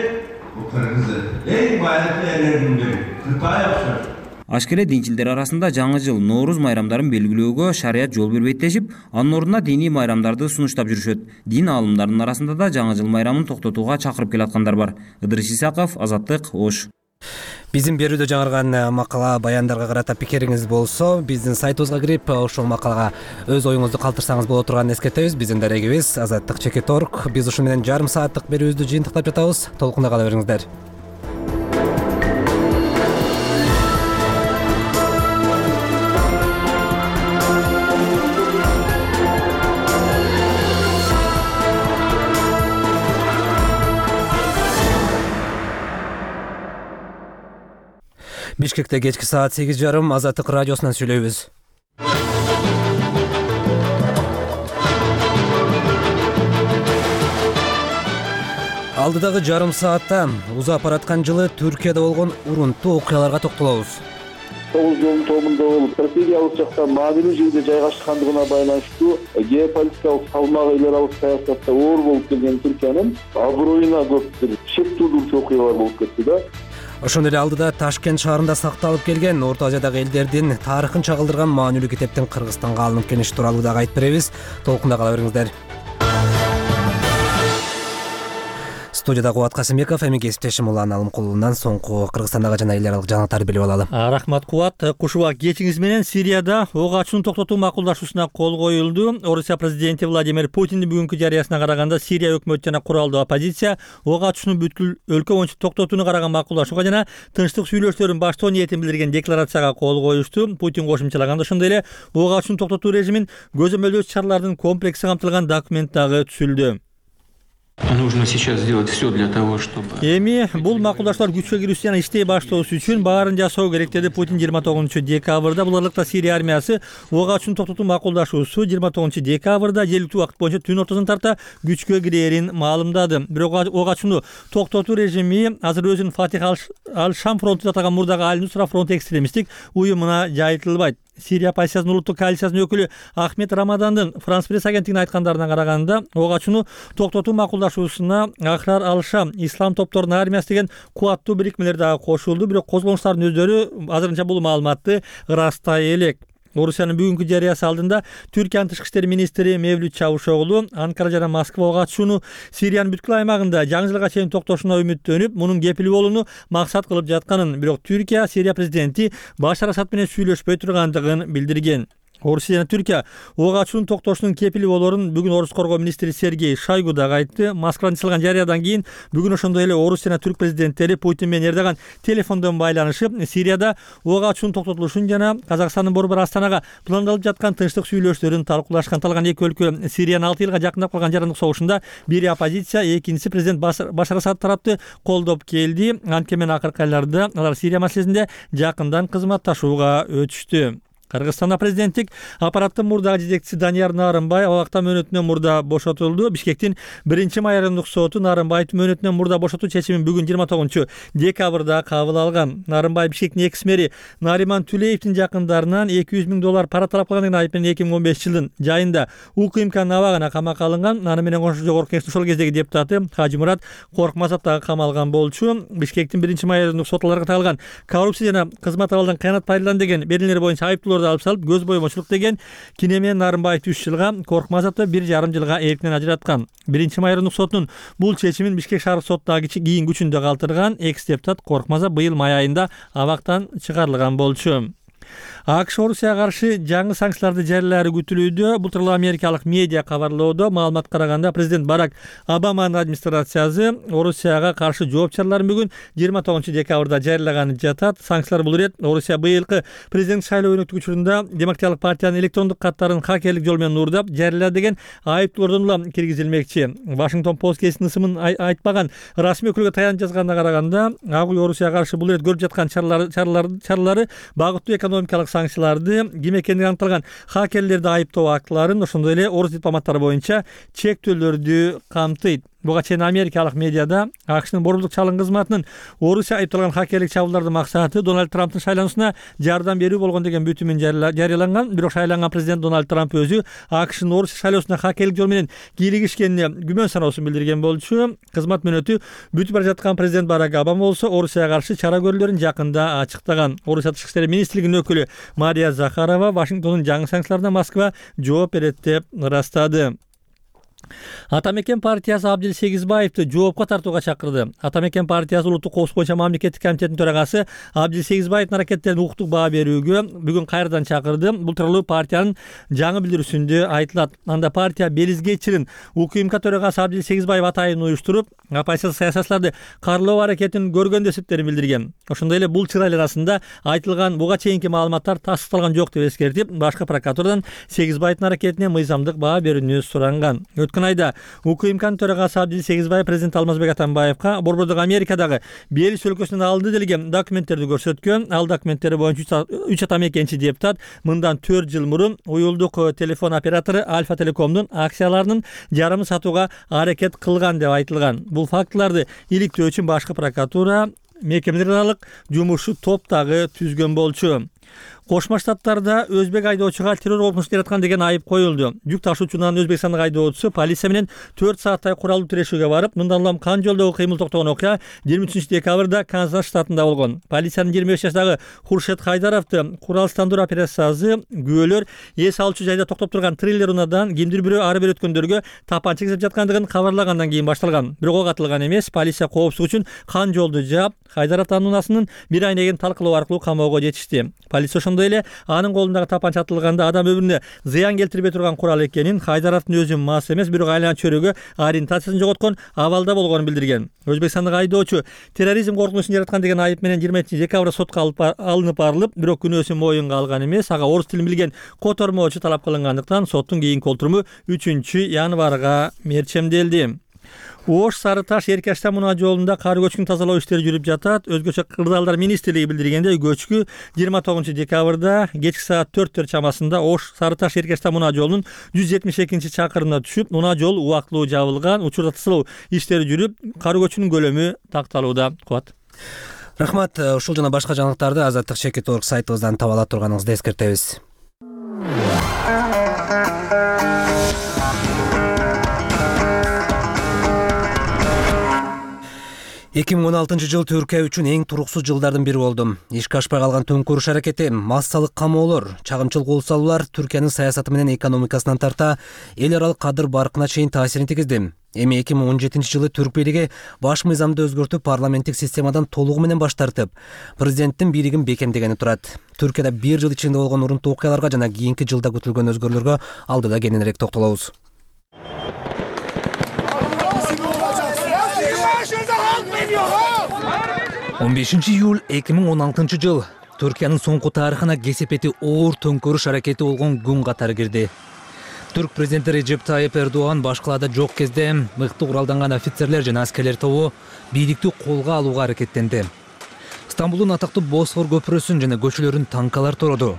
бул кыргыз эл. Эң байыркы элдердин бири. Кытай окшош. Ашкере динчилдер арасында жаңы жыл Нооруз майрамдарын белгилөөгө шарият жол бербейт дешип, анын ордуна диний майрамдарды сунуштап жүрүшөт. Дин аалымдарынын арасында да жаңы жыл майрамын токтотууга чакырып келаткандар бар. Ыдырыс Исаков, Азаттык, Ош. Биздин берүүдө жаңырган макала, баяндарга карата пикириңиз болсо, биздин сайтыбызга кирип, ошол макалага өз оюңузду калтырсаңыз боло турганын эскертебиз. Биздин дарегибиз азаттык чекит точка орг. Биз ушу менен жарым сааттык берүүбүздү жыйынтыктап жатабыз. Толкунда кала бериңиздер. Бишкекте кечки саат сегиз жарым Азаттык радиосунан сүйлөйбүз. Алдыдагы жарым саатта узап бараткан жылы Түркияда болгон урунттуу окуяларга токтолобуз. тогуз жолдун тобунда болуп, стратегиялык жактан маанилүү жерде жайгашкандыгына байланыштуу геополитикалык салмагы эл аралык саясатта оор болуп келген Түркиянын аброюна көп бир шек туудуруучу окуялар болуп кетти да. Ошондой эле алдыда Ташкент шаарында сакталып келген Орто Азиядагы элдердин тарыхын чагылдырган маанилүү китептин Кыргызстанга алынып келиши тууралуу дагы айтып беребиз. Толкунда кала бериңиздер. Студияда Кубат Касымбеков, эми кесиптешим Улан Алымкулунан соңку Кыргызстандагы жана эл аралык жаңылыктарды билип алалы. Рахмат Кубат. Кушуба кечиңиз менен Сирияда ок ачууну токтотуу макулдашуусуна кол коюлду. Орусия президенти Владимир Путиндин бүгүнкү жарыясына караганда Сирия өкмөтү жана куралдуу оппозиция ок ачууну бүткүл өлкө боюнча токтотууну караган макулдашууга жана тынчтык сүйлөшүүлөрүн баштоо ниетин билдирген декларацияга кол коюшту. Путин кошумчалаганда ошондой эле ок ачууну токтотуу режимин көзөмөлдөө чаралардын комплекси камтылган документ дагы түзүлдү. Нужно сейчас сделать все для того, чтобы... Эми бул макулдашуулар күчкө кирүүсү жана иштей баштоосу үчүн баарын жасоо керек деди Путин жыйырма тогузунчу декабрда. Бул аралыкта Сирия армиясы ок ачууну токтотуу макулдашуусу жыйырма тогузунчу декабрда жергиликтүү убакыт боюнча түн ортосун тарта күчкө кирээрин маалымдады. Бирок ок ачууну токтотуу режими азыр өзүн Фатих ал-Шам фронту деп атаган мурдагы Аль-Нусра фронт экстремисттик уюмуна жайылтылбайт. Сирия оппозициясынын улуттук коалициясынын өкүлү Ахмед Рамадандын Франс пресс агенттигине айткандарына караганда, ок ачууну токтотуу макулдашуусуна Ахрар ал-Шам ислам топторунун армиясы деген кубаттуу бирикмелер дагы кошулду. Бирок козголуштардын өздөрү азырынча бул маалыматты ырастай элек. Орусиянын бүгүнкү жарыясы алдында Түркиянын тышкы иштер министри Мевлют Чавушоглу Анкара жана Москва ок ачууну Сириянын бүткүл аймагында жаңы жылга чейин токтошуна үмүттөнүп, мунун кепил болууну максат кылып жатканын, бирок Түркия Сирия президенти Башар Асад менен сүйлөшпөй тургандыгын билдирген. Орусия жана Түркия ок ачуунун токтошунун кепили болоорун бүгүн Орус коргоо министри Сергей Шойгу дагы айтты. Москвадан жасалган жарыядан кийин бүгүн ошондой эле Орус жана Түрк президенттери Путин менен Эрдоган телефондон байланышып, Сирияда ок ачуунун токтотулушун жана Казакстандын борбор Астанага пландалып жаткан тынчтык сүйлөшүүлөрүн талкуулашкан. Талган эки өлкө Сириянын алты жылга жакындап калган жарандык согушунда бири оппозиция, экинчиси президент Башар Асад тарапты колдоп келди. Анткени акыркы айларда алар Сирия маселесинде жакындан кызматташууга өтүштү. Кыргызстанда президенттик аппараттын мурдагы жетекчиси Данияр Нарымбай абакта мөөнөтүнөн мурда бошотулду. Бишкектин биринчи майрамдык соту Нарымбайды мөөнөтүнөн мурда бошотуу чечимин бүгүн жыйырма тогузунчу декабрда кабыл алган. Нарымбай Бишкектин экс мэри Нариман Түлеевдин жакындарынан эки жүз миң доллар пара талап кылгандыгын айып менен эки миң он бешинчи жылдын жайында УКМКнын абагына камакка алынган. Аны менен кошо жогорку кеңештин ошол кездеги депутаты Хажимурат Коркмазов дагы камалган болчу. Бишкектин биринчи майрамдык соту аларга тагылган коррупция жана кызмат абалдан кыянат пайдалан деген берилер боюнча айыптоолорду алып салып, көз боемочулук деген кине менен Нарымбайды үч жылга, Коркмазовду бир жарым жылга эркинен ажыраткан. Биринчи майрамдык сотунун бул чечимин Бишкек шаардык сотуна кийин күчүндө калтырган экс депутат Коркмазов быйыл май айында абактан чыгарылган болчу. АКШ Орусияга каршы жаңы санкцияларды жарыялаары күтүлүүдө. Бул тууралуу америкалык медиа кабарлоодо. Маалыматка караганда президент Барак Обаманын администрациясы Орусияга каршы жооп чараларын бүгүн жыйырма тогузунчу декабрда жарыялаганы жатат. Санкциялар бул ирет Орусия быйылкы президент шайлоо өнөктүк учурунда Демократиялык партиянын электрондук каттарын хакерлик жол менен уурдап жарыялады деген айыптоолордон улам киргизилмекчи. Вашингтон Пост гезитинин ысымын айтпаган расмий өкүлгө таянып жазганына караганда, ак үй Орусияга каршы бул ирет көрүп жаткан чаралары чаралары багыттуу экономикалык санкцияларды, ким экендиги аныкталган хакерлерди айыптоо актыларын, ошондой эле орус дипломаттары боюнча чектөөлөрдү камтыйт. Буга чейин америкалык медиада АКШнын борбордук чалым кызматынын Орусия айыпталган хакерлик чабуулдардын максаты Дональд Трамптын шайлоонусуна жардам берүү болгон деген бүтүмүн жарыяланган. Бирок шайланган президент Дональд Трамп өзү АКШнын Орусия шайлоосуна хакерлик жол менен кийлигишкенине күмөн саноосун билдирген болчу. Кызмат мөөнөтү бүтүп бара жаткан президент Барак Обама болсо Орусияга каршы чара көрүүлөрүн жакында ачыктаган. Орусия тышкы иштер министрлигинин өкүлү Мария Захарова Вашингтондун жаңы санкцияларына Москва жооп берет деп ырастады. Атамекен партиясы Абдил Сегизбаевди жоопко тартууга чакырды. Атамекен партиясы улуттук коопсуздук боюнча мамлекеттик комитетинин төрагасы Абдил Сегизбаевдин аракеттерине укуктук баа берүүгө бүгүн кайрадан чакырды. Бул тууралуу партиянын жаңы билдирүүсүндө айтылат. Анда партия Белизге чирин УКМК төрагасы Абдил Сегизбаев атайын уюштуруп, оппозиция саясатчыларды карлоо аракетин көргөн деп эсептерин билдирген. Ошондой эле бул чырайлар арасында айтылган буга чейинки маалыматтар тастыкталган жок деп эскертип, башкы прокуратурадан Сегизбаевдин аракетине мыйзамдык баа берүүнү суранган. Өткөн айда УКМКнын төрагасы Абдил Сегизбаев президент Алмазбек Атамбаевга борбордук Америкадагы Белиз өлкөсүнөн алды делген документтерди көрсөткөн. Ал документтер боюнча үч атамекенчи депутат мындан төрт жыл мурун уюлдук телефон оператору Альфа Телекомдун акцияларынын жарымын сатууга аракет кылган деп айтылган. Бул фактыларды иликтөө үчүн башкы прокуратура мекемелер аралык жумушчу топ дагы түзгөн болчу. Кошмо Штаттарда өзбек айдоочуга террор коркунучу жараткан деген айып коюлду. Жүк ташуучунун Өзбекстандык айдоочусу полиция менен төрт сааттай куралдуу тирешүүгө барып, мындан улам кан жолдогу кыймыл токтогон окуя жыйырма үчүнчү декабрда Канзас штатында болгон. Полициянын жыйырма беш жаштагы Хуршет Хайдаровду куралдандыруу операциясы күбөлөр эс алуучу жайда токтоп турган трейлер унаадан кимдир бирөө ары бери өткөндөргө тапанча кезеп жаткандыгын кабарлагандан кийин башталган. Бирок ок атылган эмес. Полиция коопсуздук үчүн кан жолду жаап, Хайдаровдун унаасынын бир айнегин талкалоо аркылуу камоого жетишти. Полиция ошондой эле анын колундагы тапанча атылганда адам өмүрүнө зыян келтирбей турган курал экенин, Хайдаровдун өзү мас эмес, бирок айлана чөйрөгө ориентациясын жоготкон абалда болгонун билдирген. Өзбекстандык айдоочу терроризм коркунучун жараткан деген айып менен жыйырма экинчи декабрда сотко алынып барылып, бирок күнөөсүн моюнга алган эмес. Ага орус тилин билген котормочу талап кылынгандыктан соттун кийинки отуруму үчүнчү январга мерчемделди. Ош Сары Таш Эркаштан мунаа жолунда кар көчкүн тазалоо иштери жүрүп жатат. Өзгөчө Кырдаалдар министрлиги билдиргендей, көчкү жыйырма тогузунчу декабрда кечки саат төрттөр чамасында Ош Сары Таш Эркаштан мунаа жолунун жүз жетимиш экинчи чакырымына түшүп, мунаа жол убактылуу жабылган. Учурда тазалоо иштери жүрүп, кар көчкүнүн көлөмү такталууда. Кубат. Рахмат. Ушул жана башка жаңылыктарды азаттык чекит орг сайтыбыздан таба ала турганыңызды эскертебиз. эки миң он алтынчы жыл Түркия үчүн эң туруксуз жылдардын бири болду. Ишке ашпай калган төңкөрүш аракети, массалык камоолор, чагымчыл кол салуулар Түркиянын саясаты менен экономикасынан тарта эл аралык кадыр баркына чейин таасирин тийгизди. Эми эки миң он жетинчи жылы түрк бийлиги баш мыйзамды өзгөртүп, парламенттик системадан толугу менен баш тартып, президенттин бийлигин бекемдегени турат. Түркияда бир жыл ичинде болгон урунтуу окуяларга жана кийинки жылда күтүлгөн өзгөрүүлөргө алдыда кененирээк токтолобуз. он бешинчи июль эки миң он алтынчы жыл Түркиянын соңку тарыхына кесепети оор төңкөрүш аракети болгон күн катары кирди. Түрк президенти Режеп Тайып Эрдоган башкалада жок кезде мыкты куралданган офицерлер жана аскерлер тобу бийликти колго алууга аракеттенди. Стамбулдун атактуу Босфор көпүрөсүн жана көчөлөрүн танкалар тороду.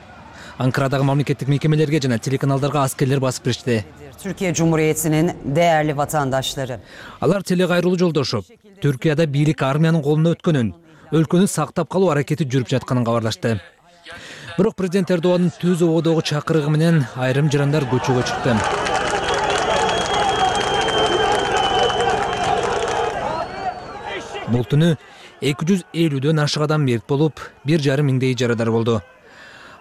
Анкарадагы мамлекеттик мекемелерге жана телеканалдарга аскерлер басып киришти. Türkiye Cumhuriyeti'nin değerli vatandaşları. Алар теле кайрылуу жолдошуп, Түркияда бийлик армиянын колуна өткөнүн, өлкөнү сактап калуу аракети жүрүп жатканын кабарлашты. Бирок президент Эрдоганын түз ободогу чакырыгы менен айрым жарандар көчөгө чыкты. Бул түнү эки жүз элүүдөн ашык адам мерт болуп, бир жарым миңдей жарадар болду.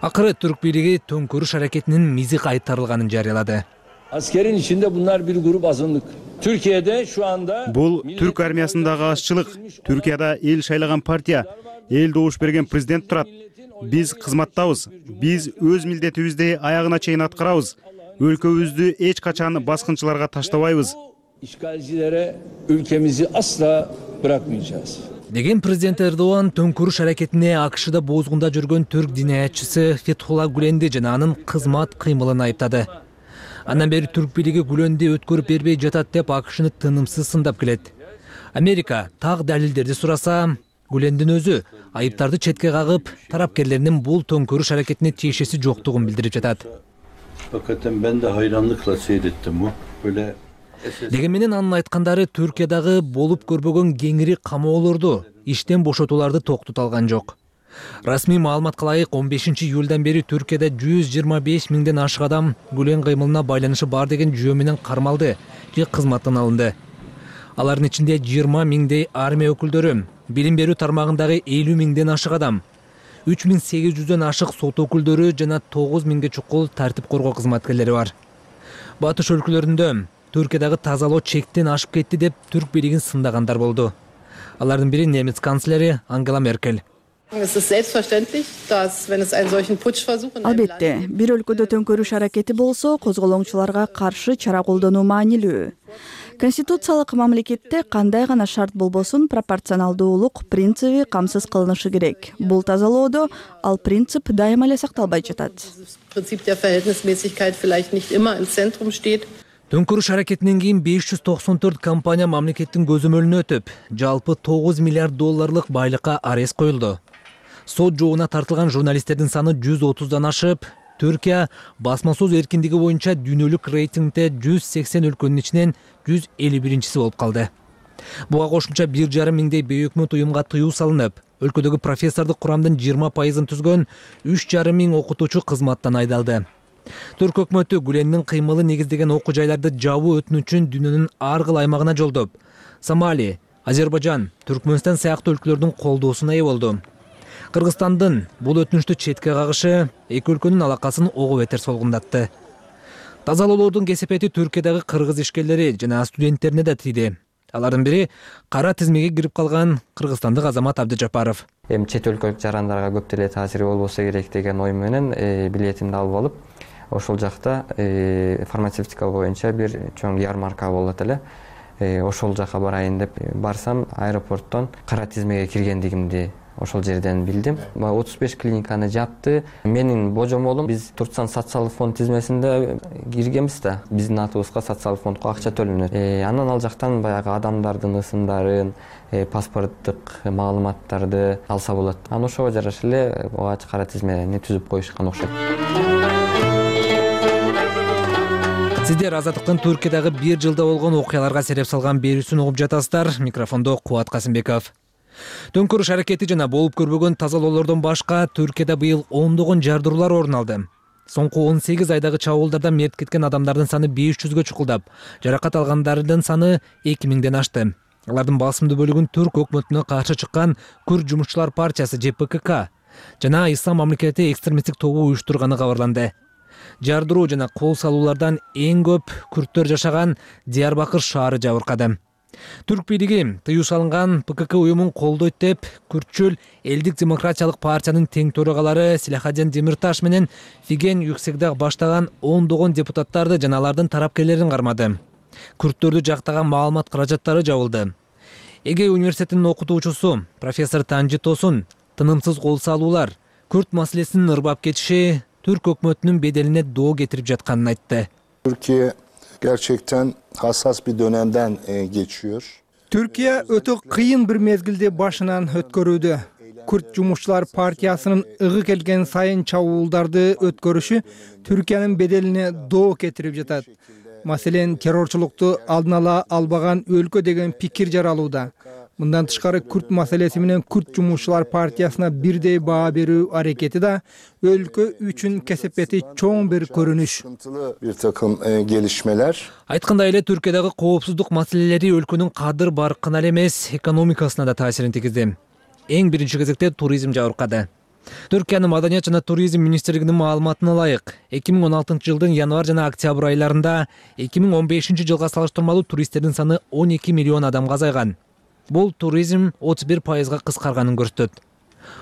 Акыры түрк бийлиги төңкөрүш аракетинин мизи кайтарылганын жарыялады. Askerin içinde bunlar bir grup azınlık. Türkiye'de şu anda Бул түрк армиясындагы азчылык. Түркияда эл шайлаган партия, эл добуш берген президент турат. Биз кызматтабыз. Биз өз милдетибизди аягына чейин аткарабыз. Өлкөбүздү эч качан баскынчыларга таштабайбыз. işgalcilere ülkemizi asla bırakmayacağız. Деген президент Эрдоган төңкөрүш аракетине АКШда боозгунда жүргөн түрк динаятчысы Фетхулла Гүленди жана анын кызмат кыймылын айыптады. Андан бери түрк бийлиги Гүленди өткөрүп бербей жатат деп АКШны тынымсыз сындап келет. Америка так далилдерди сураса, Гүлендин өзү айыптарды четке кагып, тарапкерлеринин бул төңкөрүш аракетине тиешеси жоктугун билдирип жатат. Hakikaten ben de hayranlıkla seyrettim bu. Böyle Деген менен анын айткандары Түркиядагы болуп көрбөгөн кеңири камоолорду, иштен бошотууларды токтото алган жок. Расмий маалыматка ылайык он бешинчи июлдан бери Түркияда жүз жыйырма беш миңден ашык адам Гүлен кыймылына байланышы бар деген жүйө менен кармалды же кызматтан алынды. Алардын ичинде жыйырма миңдей армия өкүлдөрү, билим берүү тармагындагы элүү миңден ашык адам, үч миң сегиз жүздөн ашык сот өкүлдөрү жана тогуз миңге чукул тартип коргоо кызматкерлери бар. Батыш өлкөлөрүндө Түркиядагы тазалоо чектен ашып кетти деп түрк бийлигин сындагандар болду. Алардын бири немец канцлери Ангела Меркель. Албетте, бир өлкөдө төңкөрүш аракети болсо, козголоңчуларга каршы чара колдонуу маанилүү. Конституциялык мамлекетте кандай гана шарт болбосун пропорционалдуулук принциби камсыз кылынышы керек. Бул тазалоодо ал принцип дайыма эле сакталбай жатат. Төңкөрүш аракетинен кийин беш жүз токсон төрт компания мамлекеттин көзөмөлүнө өтүп, жалпы тогуз миллиард долларлык байлыкка арест коюлду. Сот жообуна тартылган журналисттердин саны жүз отуздан ашып, Түркия басма сөз эркиндиги боюнча дүйнөлүк рейтингде жүз сексен өлкөнүн ичинен жүз элүү биринчиси болуп калды. Буга кошумча бир жарым миңдей бейөкмөт уюмга тыюу салынып, Өлкөдөгү профессордук курамдын жыйырма пайызын түзгөн үч жарым миң окутуучу кызматтан айдалды. Түрк өкмөтү Гүлендин кыймылы негиздеген окуу жайларды жабуу өтүнүчүн дүйнөнүн ар кыл аймагына жолдоп, Сомали, Азербайжан, Түркмөнстан сыяктуу өлкөлөрдүн колдоосуна ээ болду. Кыргызстандын бул өтүнүштү четке кагышы эки өлкөнүн алакасын ого бетер солгундатты. Тазалоолордун кесепети Түркиядагы кыргыз ишкерлери жана студенттерине да тийди. Алардын бири кара тизмеге кирип калган кыргызстандык Азамат Абдыжапаров. Эми чет өлкөлүк жарандарга көп деле таасири болбосо керек деген ой менен билетимди алып алып, ошол жакта фармацевтика боюнча бир чоң ярмарка болот эле. Ошол жака барайын деп барсам, аэропорттон кара тизмеге киргендигимди ошол жерден билдим. отуз беш клиниканы жапты. Менин божомолум биз Туркстан социалдык фонд тизмесинде киргенбиз да. Биздин атыбызга социалдык фондко акча төлөнөт. Анан ал жактан баягы адамдардын ысымдарын, паспорттук маалыматтарды алса болот. Анан ошого жараша эле огач кара тизмени түзүп коюшкан окшойт. Сиздер Азаттыктын Түркиядагы бир жылда болгон окуяларга сереп салган берүүсүн угуп жатасыздар. Микрофондо Кубат Касымбеков. Төңкөрүш аракети жана болуп көрбөгөн тазалоолордон башка Түркияда быйыл ондогон жардыруулар орун алды. Соңку он сегиз айдагы чабуулдарда мерт кеткен адамдардын саны беш жүзгө чукулдап, жаракат алгандардын саны эки миңден ашты. Алардын басымдуу бөлүгүн Түрк өкмөтүнө каршы чыккан Күрд жумушчулар партиясы Ж П К К жана Ислам мамлекети экстремисттик тобу уюштурганы кабарланды. Жардыруу жана кол салуулардан эң көп күрттөр жашаган Диярбакыр шаары жабыркады. Түрк бийлиги тыюу салынган П К К уюмун колдойт деп, күртчүл Элдик демократиялык партиянын тең төрагалары Силахаден Демирташ менен Фиген Юксегдаг баштаган ондогон депутаттарды жана алардын тарапкерлерин кармады. Күрттөрдү жактаган маалымат каражаттары жабылды. Эге университетинин окутуучусу профессор Танжи Тосун тынымсыз кол салуулар, күрт маселесинин ырбап кетиши Türk өкмөтүнүн беделине доо кетирип жатканын айтты. Türkiye gerçekten hassas bir dönemden geçiyor. Türkiye өтө кыйын бир мезгилди башынан өткөрүүдө. Күрт жумушчулар партиясынын ыгы келген сайын чабуулдарды өткөрүшү Түркиянын беделине доо кетирип жатат. Маселен, террорчулукту алдын ала албаган өлкө деген пикир жаралууда. Мындан тышкары күрт маселеси менен күрт жумушчулар партиясына бирдей баа берүү аракети да өлкө үчүн кесепети чоң бир көрүнүш. Bir takım gelişmeler. Айткандай эле Түркиядагы коопсуздук маселелери өлкөнүн кадыр баркына эле эмес, экономикасына да таасирин тийгизди. Эң биринчи кезекте туризм жабыркады. Түркиянын Маданият жана туризм министрлигинин маалыматына ылайык, эки миң он алтынчы жылдын январь жана октябрь айларында эки миң он бешинчи жылга салыштырмалуу туристтердин саны он эки миллион адамга азайган. Бул туризм отуз бир пайызга кыскарганын көрсөтөт.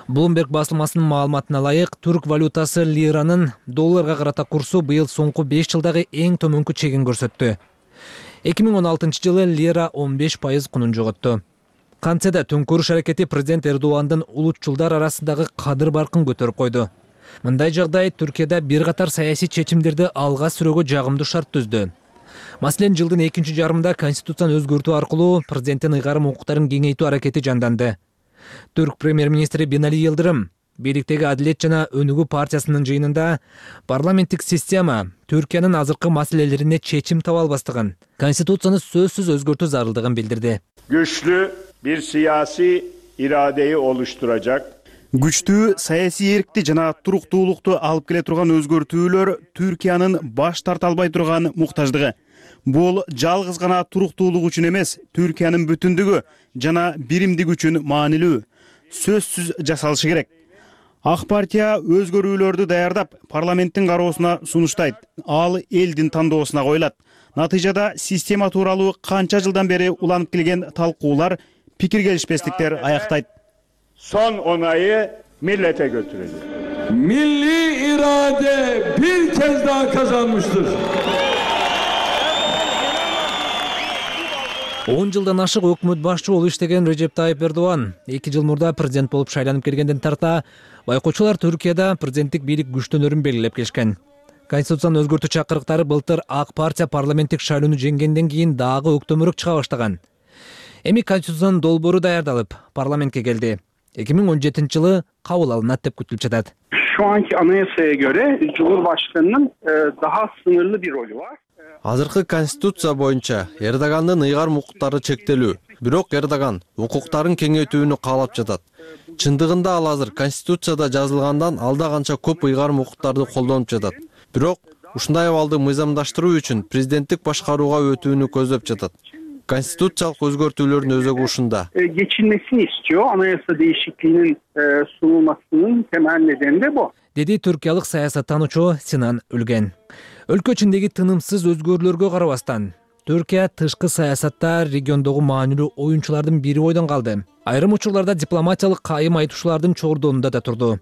Bloomberg басылмасынын маалыматына ылайык, түрк валютасы лиранын долларга карата курсу быйыл соңку беш жылдагы эң төмөнкү чегин көрсөттү. эки миң он алтынчы жылы лира он беш пайыз кунун жоготту. Кантсе да төңкөрүш аракети президент Эрдогандын улутчулдар арасындагы кадыр баркын көтөрүп койду. Мындай жагдай Түркияда бир катар саясий чечимдерди алга сүрөөгө жагымдуу шарт түздү. Маселен, жылдын экинчи жарымында конституцияны өзгөртүү аркылуу президенттин ыйгарым укуктарын кеңейтүү аракети жанданды. Түрк премьер-министри Бинали Йылдырым бийликтеги Адилет жана Өнүгүү партиясынын жыйынында парламенттик система Түркиянын азыркы маселелерине чечим таба албастыгын, конституцияны сөзсүз өзгөртүү зарылдыгын билдирди. Güçlü bir siyasi iradeyi oluşturacak. Күчтүү саясий эркти жана туруктуулукту алып келе турган өзгөртүүлөр Түркиянын баш тарта албай турган муктаждыгы. Бул жалгыз гана туруктуулук үчүн эмес, Түркиянын бүтүндүгү жана биримдиги үчүн маанилүү. Сөзсүз жасалышы керек. Ак партия өзгөрүүлөрдү даярдап, парламенттин кароосуна сунуштайт. Ал элдин тандоосуна коюлат. Натыйжада система тууралуу канча жылдан бери уланып келген талкуулар, пикир келишпестиктер аяктайт. Son onayı millete götürecek. Milli irade bir kez daha kazanmıştır. он жылдан ашык өкмөт башчы болуп иштеген Режеп Тайип Эрдоган эки жыл мурда президент болуп шайланып келгенден тарта байкоочулар Түркияда президенттик бийлик күчтөнөрүн белгилеп келишкен. Конституцияны өзгөртүү чакырыктары былтыр Ак партия парламенттик шайлоону жеңгенден кийин дагы өктөмүрөөк чыга баштаган. Эми конституциянын долбоору даярдалып, парламентке келди. эки миң он жетинчи жылы кабыл алынат деп күтүлүп жатат. Şu anki anayasaya göre Cumhurbaşkanı'nın daha sınırlı bir rolü var. Азыркы конституция боюнча Эрдогандын ыйгарым укуктары чектелүү. Бирок Эрдоган укуктарын кеңейтүүнү каалап жатат. Чындыгында ал азыр Конституцияда жазылгандан алда канча көп ыйгарым укуктарды колдонуп жатат. Бирок ушундай абалды мыйзамдаштыруу үчүн президенттик башкарууга өтүүнү көздөп жатат. Конституциялык өзгөртүүлөрдүн өзөгү ушунда. Geçilmesini istiyor. Anayasa değişikliğinin sunulmasının temel nedeni de bu. Деди түркиялык саясаттануучу Синан Үлген. Өлкө ичиндеги тынымсыз өзгөрүүлөргө карабастан, Түркия тышкы саясатта региондогу маанилүү оюнчулардын бири бойдон калды. Айрым учурларда дипломатиялык кайым айтуучулардын чордонунда да турду.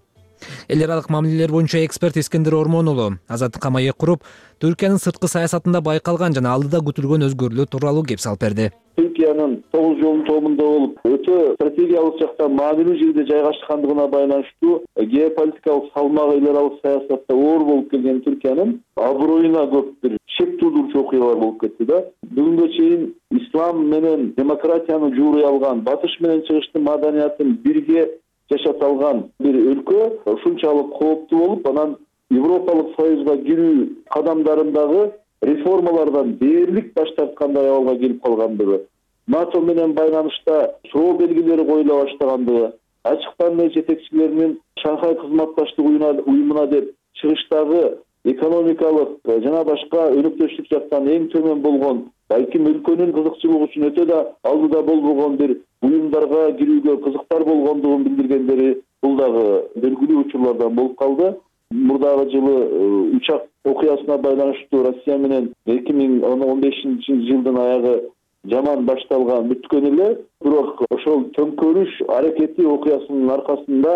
Эл аралык мамилелер боюнча эксперт Искендер Ормон уулу Азаттыкка маек куруп, Түркиянын сырткы саясатында байкалган жана алдыда күтүлгөн өзгөрүүлөр тууралуу кеп салып берди. Türkiye'nin тогуз жолдун тобунда болуп, өтө стратегиялык жактан маанилүү жерде жайгашкандыгына байланыштуу геополитикалык салмагы эл аралык саясатта оор болуп келген Түркиянын аброюна көп бир шек туудурчу окуялар болуп кетти да. Бүгүнгө чейин ислам менен демократияны жууруй алган, батыш менен чыгыштын маданиятын бирге жашата алган бир өлкө ушунчалык кооптуу болуп, анан Европалык Союзга кирүү кадамдарындагы реформалардан дээрлик баш тарткандай абалга келип калгандыгы, НАТО менен байланышта суроо белгилери коюла баштагандыгы, ачыктан эле жетекчилеринин Шанхай кызматташтык уюмуна деп чыгыштагы экономикалык жана башка өнөктөштүк жактан эң төмөн болгон, балким өлкөнүн кызыкчылыгы үчүн өтө да алдыда болбогон бир уюмдарга кирүүгө кызыктар болгондугун билдиргендери бул дагы белгилүү учурлардан болуп калды. Мурдагы жылы учак окуясына байланыштуу Россия менен эки миң он бешинчи жылдын аягы жаман башталган бүткөн эле, бирок ошол төңкөрүш аракети окуясынын аркасында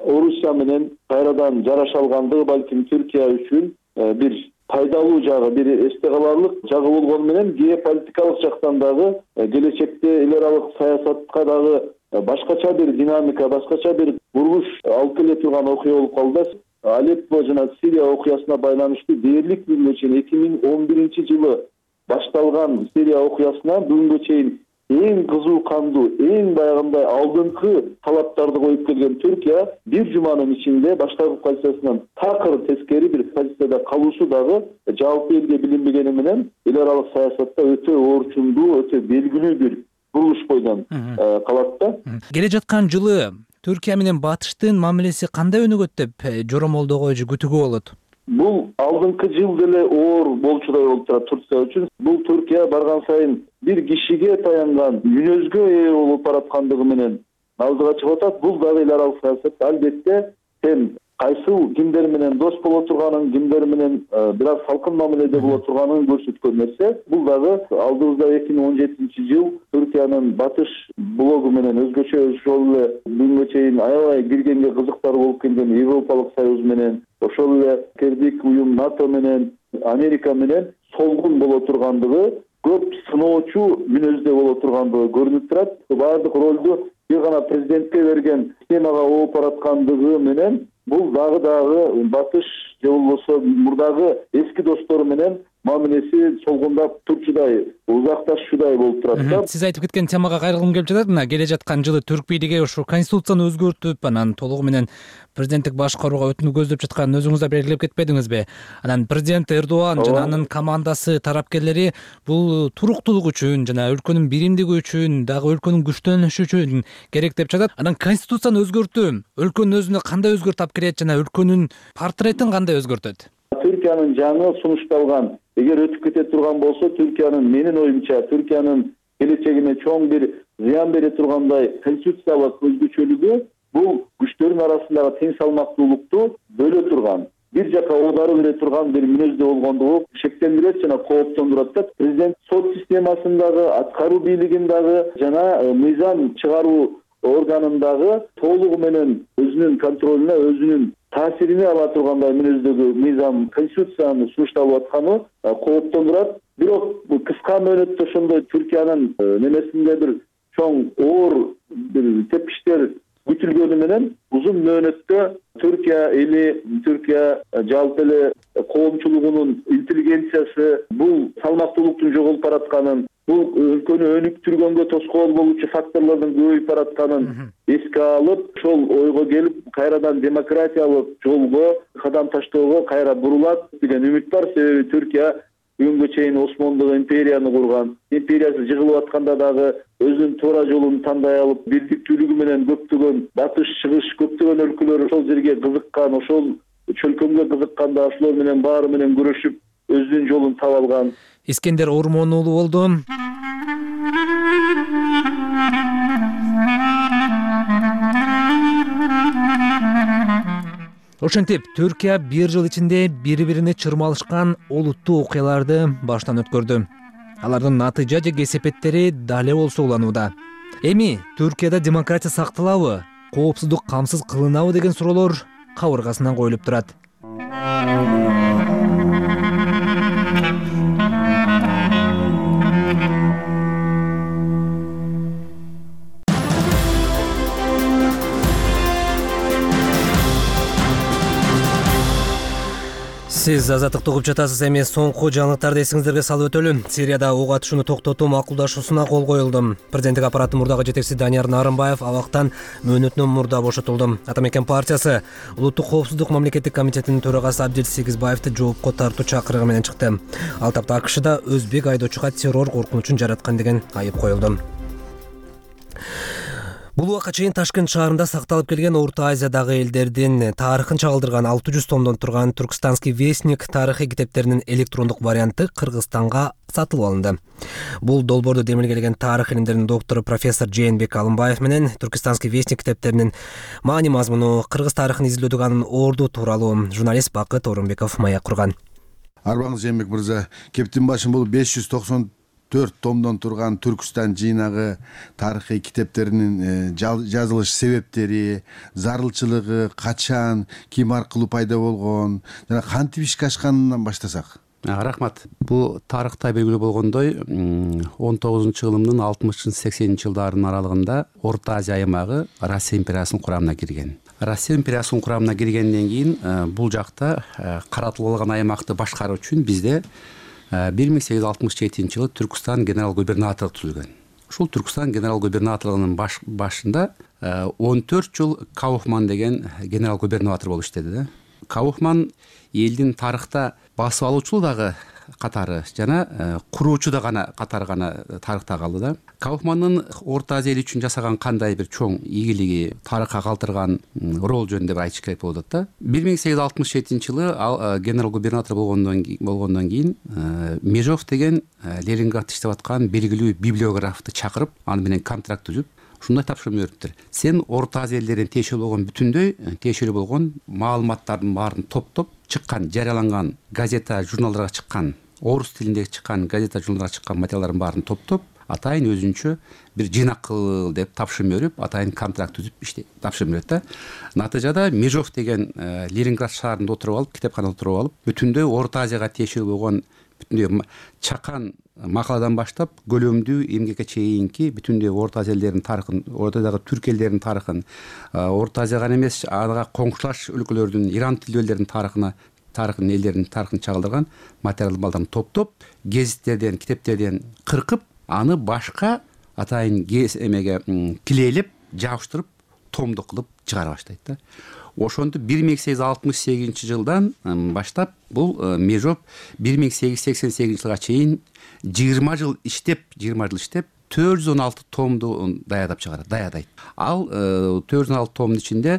Орусия менен кайрадан жараша алгандыгы балким Түркия үчүн бир пайдалуу жагы, бир эсте каларлык жагы болгону менен геополитикалык жактан дагы келечекте эл аралык саясатка дагы башкача бир динамика, башкача бир бурулуш алып келе турган окуя болуп калды. Алеппо жана Сирия окуясына байланыштуу дээрлик бүгүнгө чейин эки миң он биринчи жылы башталган Сирия окуясына бүгүнгө чейин эң кызуу кандуу, эң баягындай алдыңкы талаптарды коюп келген Түркия бир жуманын ичинде баштапкы позициясынан такыр тескери бир позицияда калуусу дагы жалпы элге билинбегени менен эл аралык саясатта өтө орчундуу, өтө белгилүү бир бурулуш бойдон калат да. Келе жаткан жылы Түркия менен батыштын мамилеси кандай өнүгөт деп жоромолдогой же күтүүгө болот? Бул алдыңкы жыл деле оор болчудай болуп турат Турция үчүн. Бул Түркия барган сайын бир кишиге таянган мүнөзгө ээ болуп бараткандыгы менен алдыга чыгып атат. Бул дагы эл аралык саясатта албетте сен кайсыл кимдер менен дос боло турганын, кимдер менен бир аз салкын мамиледе боло турганын көрсөткөн нерсе. Бул дагы алдыбызда эки миң он жетинчи жыл Түркиянын батыш блогу менен өзгөчө ошол эле бүгүнгө чейин аябай киргенге кызыктар болуп келген Европалык Союз менен, ошол эле кирдик уюм НАТО менен, Америка менен солгун боло тургандыгы, көп сыноочу мүнөздө боло тургандыгы көрүнүп турат. Баардык ролду бир гана президентке берген системага ооп бараткандыгы менен бул дагы дагы батыш же болбосо мурдагы эски достору менен мамилеси солгундап турчудай, узакташчудай болуп турат да. Сиз айтып кеткен темага кайрылгым келип жатат. Мына келе жаткан жылы түрк бийлиги ушу конституцияны өзгөртүп, анан толугу менен президенттик башкарууга өтүүнү көздөп жатканын өзүңүз да белгилеп кетпедиңизби? Анан президент Эрдоган жана анын командасы, тарапкерлери бул туруктуулук үчүн жана өлкөнүн биримдиги үчүн, дагы өлкөнүн күчтөнүшү үчүн керек деп жатат. Анан конституцияны өзгөртүү өлкөнүн өзүнө кандай өзгөрт алып келет жана өлкөнүн портретин кандай өзгөртөт? Түркиянын жаңы сунушталган, эгер өтүп кете турган болсо, Түркиянын менин оюмча Түркиянын келечегине чоң бир зыян бере тургандай конституциялык өзгөчөлүгү бул күчтөрдүн арасындагы тең салмактуулукту бөлө турган, бир жака оодарып бере турган бир мүнөздө болгондугу шектендирет жана кооптондурат да. Президент сот системасындагы, аткаруу бийлигиндагы жана мыйзам чыгаруу органындагы толугу менен өзүнүн контролуна, өзүнүн таасирине ала тургандай мүнөздөгү мыйзам конституцияны сунушталып атканы кооптондурат. Бирок кыска мөөнөттө ошондой Түркиянын немесинде бир чоң оор бир тепкичтер күтүлгөнү менен узун мөөнөттө Түркия эли, Түркия жалпы эле коомчулугунун интеллигенциясы бул салмактуулуктун жоголуп баратканын, бул өлкөнү өнүктүргөнгө тоскоол болуучу факторлордун көбөйүп баратканын эске алып, ошол ойго келип, кайрадан демократиялык жолго кадам таштоого кайра бурулат деген үмүт бар. Себеби Түркия бүгүнгө чейин Осмондук империяны курган, империясы жыгылып атканда дагы өзүнүн туура жолун тандай алып, бирдиктүүлүгү менен көптөгөн батыш, чыгыш, көптөгөн өлкөлөр ошол жерге кызыккан, ошол чөлкөмгө кызыкканда ошолор менен баары менен күрөшүп өзүнүн жолун таап алган. Искендер Ормон уулу болду. Ошентип, Түркия бир жыл ичинде бири-бирине чырмалышкан олуттуу окуяларды баштан өткөрдү. Алардын натыйжа же кесепеттери дале болсо уланууда. Эми Түркияда демократия сакталабы, коопсуздук камсыз кылынабы деген суроолор кабыргасынан коюлуп турат. Сиз азаттыкты угуп жатасыз. Эми соңку жаңылыктарды эсиңиздерге салып өтөлү. Сирияда ок атышууну токтотуу макулдашуусуна кол коюлду. Президенттик аппараттын мурдагы жетекчиси Данияр Нарымбаев абактан мөөнөтүнөн мурда бошотулду. Атамекен партиясы Улуттук коопсуздук мамлекеттик комитетинин төрагасы Абдил Сегизбаевди жоопко тартуу чакырыгы менен чыкты. Ал тапта АКШда өзбек айдоочуга террор коркунучун жараткан деген айып коюлду. Бул убакка чейин Ташкент шаарында сакталып келген Орто Азиядагы элдердин тарыхын чагылдырган алты жүз томдон турган Түркстанский вестник тарыхый китептеринин электрондук варианты Кыргызстанга сатылып алынды. Бул долбоордо демилгелеген тарых илимдеринин доктору профессор Жээнбек Алымбаев менен Түркстанский вестник китептеринин маани мазмуну, кыргыз тарыхын изилдөөдөгү анын орду тууралуу журналист Бакыт Орунбеков маек курган. Арбаңыз Жээнбек мырза, кептин башын бул беш жүз токсон төрт томдон турган Түркстан жыйнагы тарыхый китептеринин жазылыш себептери, зарылчылыгы, качан, ким аркылуу пайда болгон жана кантип ишке ашканынан баштасак. Рахмат. Бул тарыхта белгилүү болгондой, он тогузунчу кылымдын алтымышынчы сексенинчи жылдарынын аралыгында Орто Азия аймагы Россия империясынын курамына кирген. Россия империясынын курамына киргенден кийин бул жакта каратылып алган аймакты башкаруу үчүн бизде бир миң сегиз жүз алтымыш жетинчи жылы Түркстан генерал губернаторлугу түзүлгөн. Ушул Түркстан генерал губернаторлугунун баш, башында он төрт жыл Кауфман деген генерал губернатор болуп иштеди да. Кауфман элдин тарыхта басып алуучу дагы катары жана куруучу да гана катары гана тарыхта калды да. Кауфмандын Орто Азия эл үчүн жасаган кандай бир чоң ийгилиги, тарыхка калтырган рол жөнүндө бир айтыш керек болуп атат да. бир миң сегиз жүз алтымыш жетинчи жылы ал генерал губернатор болгондон болгондон кийин Межов деген Ленинградта иштеп аткан белгилүү библиографты чакырып, аны менен контракт түзүп, ушундай тапшырма бериптир. Сен Орто Азия элдеринин тиешелүү болгон бүтүндөй тиешелүү болгон маалыматтардын баарын топтоп чыккан, жарыяланган газета, журналдарга чыккан, орус тилиндеги чыккан газета, журналдарга чыккан материалдардын баарын топтоп, атайын өзүнчө бир жыйнак кыл деп тапшырма берип, атайын контракт түзүп иште тапшырма берет да. Натыйжада Межов деген Ленинград шаарында отуруп алып, китепканада отуруп алып, бүтүндөй Орто Азияга тиешелүү болгон бүтүндөй чакан макаладан баштап көлөмдүү эмгекке чейинки бүтүндөй Орто Азия элдеринин тарыхын, Ортодагы түрк элдеринин тарыхын, Орто Азия гана эмес, ага коңшулаш өлкөлөрдүн, Иран тилдүү элдердин тарыхына, тарыхын элдеринин тарыхын чагылдырган материалдарды топтоп, гезиттерден, китептерден кыркып, аны башка атайын гез эмеге килейлеп, жабыштырып, томдук кылып чыгара баштайт да. Ошентип бир миң сегиз жүз алтымыш сегизинчи жылдан баштап бул Межов бир миң сегиз жүз сексен сегизинчи жылга чейин жыйырма жыл иштеп, жыйырма жыл иштеп, төрт жүз он алты томду даядап чыгарат, даядайт. Ал төрт жүз он алты томдун ичинде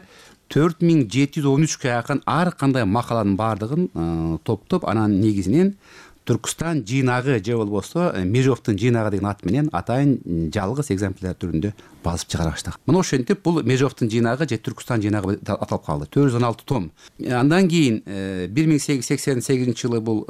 төрт миң жети жүз он үчкө жакын ар кандай макаланын баардыгын топтоп, анан негизинен Түркстан жыйнагы же болбосо Межовдун жыйнагы деген ат менен атайын жалгыз экземпляр түрүндө басып чыгара баштаган. Мына ошентип бул Межовдун жыйнагы же Түркстан жыйнагы аталып калды. төрт жүз он алты том. Андан кийин бир миң сегиз жүз сексен сегизинчи жылы бул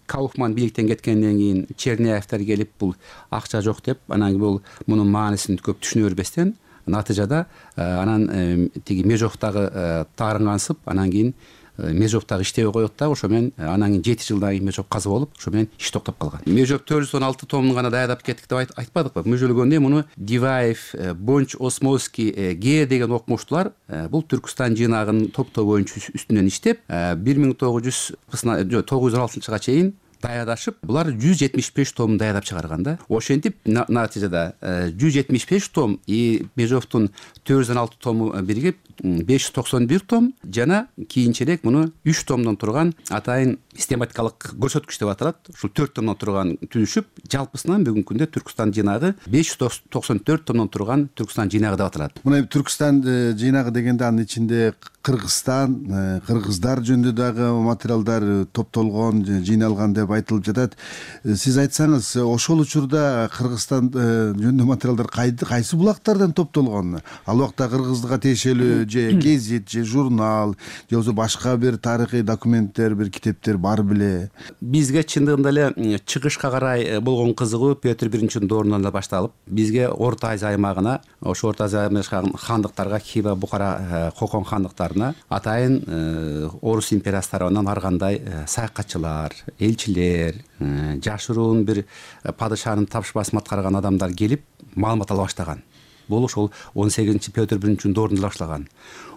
Кауфман бийликтен кеткенден кийин Черняевтер келип бул акча жок деп, анан бул мунун маанисин көп түшүнө бербестен, натыйжада анан тиги Межовдагы таарынгансып, анан кийин Межовдагы иштебей коет да, ошо менен анан кийин жети жылдан кийин Межов каза болуп, ошо менен иш токтоп калган. Межов төрт жүз он алты томун гана даядап кеттик деп айтпадыкпы? Мүжөлгөндө муну Диваев, Бонч, Осмовский, Ге деген окумуштуулар бул Түркстан жыйнагынын топтоо боюнча үстүнөн иштеп, бир миң тогуз жүз он алтынчы жылга чейин даярдашып, булар жүз жетимиш беш томун даярдап чыгарган да. Ошентип натыйжада жүз жетимиш беш том и Межовдун төрт жүз он алты тому биригип беш жүз токсон бир том жана кийинчерээк муну үч томдон турган атайын систематикалык көрсөткүч деп аталат. Ушул төрт томдон турган түзүшүп, жалпысынан бүгүнкү күндө Түркстан жыйнагы беш жүз токсон төрт томдон турган Түркстан жыйнагы деп аталат. Мына Түркстан жыйнагы дегенде анын ичинде Кыргызстан, кыргыздар жөнүндө дагы материалдар топтолгон, жыйналган деп айтылып жатат. Сиз айтсаңыз, ошол учурда Кыргызстан жөнүндө материалдар кайсы булактардан топтолгон? Ал убакта кыргызга тиешелүү же гезит, же журнал, же болбосо башка бир тарыхый документтер, бир китептер бар беле? Бизге чындыгында эле чыгышка карай болгон кызыгуу Петр биринчинин доорунан эле башталып, бизге Орто Азия аймагына, ошо Орто Азия аймагындагы хандыктарга, Хива, Бухара, Кокон хандыктарына атайын Орус империясы тарабынан ар кандай саякатчылар, элчилер, жашыруун бир падышанын тапшырмасын аткарган адамдар келип маалымат ала баштаган. Бул ошол он сегизинчи Петр биринчинин доорунда башталган.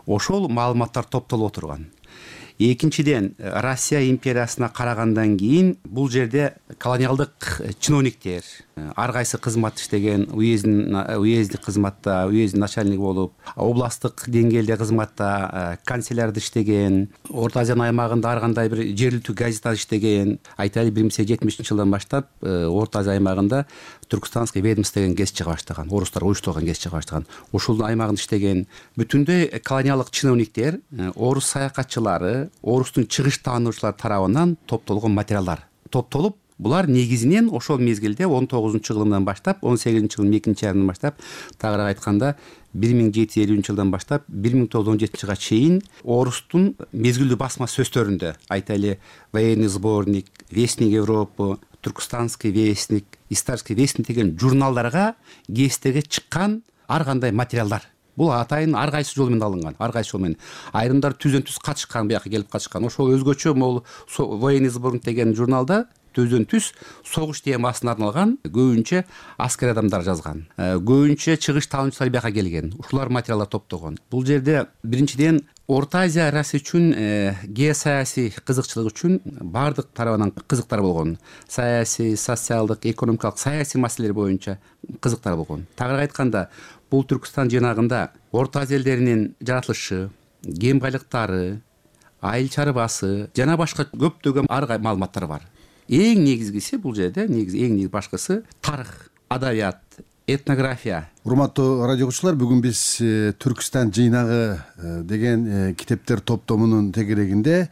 Ошол маалыматтар топтолуп отурган. Экинчиден, Россия империясына карагандан кийин бул жерде колониалдык чиновниктер, ар кайсы кызмат иштеген, уездик кызматта, уездин начальниги болуп, областтык деңгээлде кызматта, канцелярда иштеген, Орто Азия аймагында ар кандай бир жергиликтүү газетада иштеген. Айтайлы, бир миң сегиз жүз жетимишинчи жылдан баштап Орто Азия аймагында Түркстанский ведомство деген гезит чыга баштаган, орустар уюштурган гезит чыга баштаган. Ушул аймагында иштеген бүтүндөй колониалдык чиновниктер, орус саякатчылары, орустун чыгыш таануучулары тарабынан топтолгон материалдар топтолуп, булар негизинен ошол мезгилде он тогузунчу жылынан баштап, он сегизинчи жылдын экинчи айынан баштап, тагыраак айтканда бир миң жети жүз элүүнчү жылдан баштап бир миң тогуз жүз он жетинчи жылга чейин орустун мезгилдүү басма сөздөрүндө, айтайлы, Военный сборник, Вестник Европы, Түркстанский вестник, Истарский вестник деген журналдарга, гезиттерге чыккан ар кандай материалдар. Бул атайын ар кайсы жол менен алынган, ар кайсы жол менен. Айрымдар түздөн түз катышкан, бияка келип катышкан. Ошол өзгөчө могул Военный сборник деген журналда түздөн түз согуш темасына арналган көбүнчө аскер адамдар жазган. Көбүнчө чыгыш таануучулар бияка келген. Ушулар материалдар топтогон. Бул жерде биринчиден Орто Азия Россия үчүн геосаясий кызыкчылык үчүн бардык тарабынан кызыктар болгон. Саясий, социалдык, экономикалык, саясий маселелер боюнча кызыктар болгон. Тагыраак айтканда, бул Түркстан жыйнагында Орто Азия элдеринин жаратылышы, кен байлыктары, айыл чарбасы жана башка көптөгөн ар кандай маалыматтар бар. Эң негизгиси бул жерде, негизи эң негизи башкысы тарых, адабият, этнография. Урматтуу радио угуучулар, бүгүн биз Түркстан жыйнагы деген китептер топтомунун тегерегинде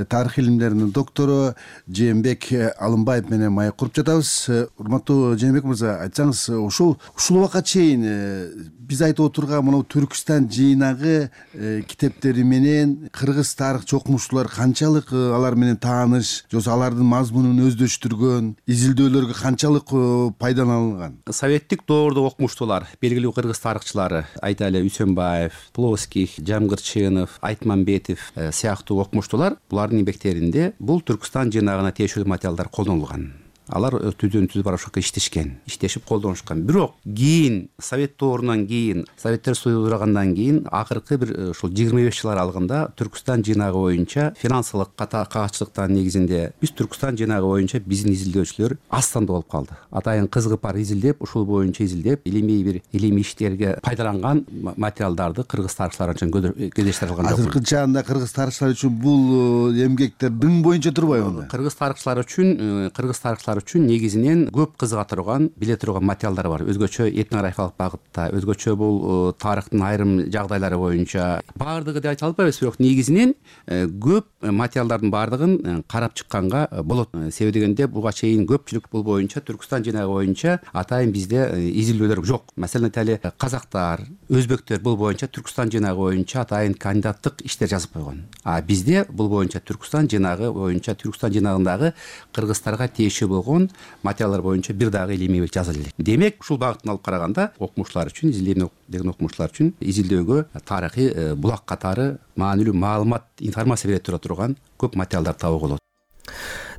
тарых илимдеринин доктору Жээнбек Алымбаев менен маек куруп жатабыз. Урматтуу Жээнбек мырза, айтсаңыз, ушул ушул убакка чейин биз айтып отурган мына Түркстан жыйнагы китептери менен кыргыз тарых окумуштуулар канчалык алар менен тааныш, же алардын мазмунун өздөштүргөн, изилдөөлөргө канчалык пайдаланылган? Советтик доордо окумуштуулар, белгилүү кыргыз тарыхчылары, айтайлы, Үсөнбаев, Плоских, Жамгырчынов, Айтмамбетов сыяктуу окумуштуулар, булардын эмгектеринде бул Түркстан жыйнагына тиешелүү материалдар колдонулган. Алар түздөн түз барып ошол иштешкен, иштешип колдонушкан. Бирок кийин Совет доорунан кийин, Советтер Союзу кургандан кийин акыркы бир ушул жыйырма беш жыл аралыгында Түркстан жыйнагы боюнча финансылык кагаччылыктын негизинде биз Түркстан жыйнагы боюнча биздин изилдөөчүлөр аз санда болуп калды. Атайын кызыгып бар изилдеп, ушул боюнча изилдеп, илимий бир илимий иштерге пайдаланган материалдарды кыргыз тарыхчылары үчүн кездештире алган жок. Азыркы чагында кыргыз тарыхчылары үчүн бул эмгектер дың боюнча турбайбы анда? Кыргыз тарыхчылары үчүн, кыргыз тарыхчылары үчүн негизинен көп кызыга турган, биле турган материалдар бар. Өзгөчө этнографиялык багытта, өзгөчө бул тарыхтын айрым жагдайлары боюнча. Бардыгы деп айта албайбыз, бирок негизинен көп материалдардын бардыгын карап чыкканга болот. Себеби дегенде буга чейин көпчүлүк бул боюнча, Түркстан жыйнагы боюнча атайын бизде изилдөөлөр жок. Маселен айталы, казактар, өзбектер бул боюнча Түркстан жыйнагы боюнча атайын кандидаттык иштер жазып койгон. А бизде бул боюнча Түркстан жыйнагы боюнча, Түркстан жыйнагындагы кыргыздарга тиешелүү болгон материалдар боюнча бир дагы илимий жазылды элек. Демек, ушул багыттан алып караганда, окумуштуулар үчүн, изилдөө деген окумуштуулар үчүн изилдөөгө тарыхый булак катары маанилүү маалымат, информация бере тура турган көп материалдар табууга болот.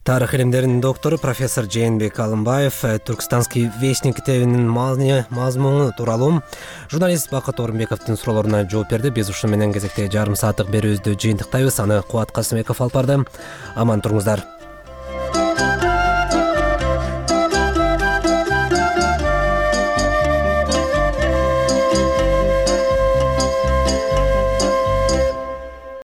Тарых илимдеринин доктору профессор Жээнбек Алымбаев Түркстанский вестник китебинин мазмуну тууралуу журналист Бакыт Орунбековдун суроолоруна жооп берди. Биз ушу менен кезекте жарым сааттык берүүбүздү жыйынтыктайбыз. Аны Кубат Касымбеков алып барды. Аман туруңуздар.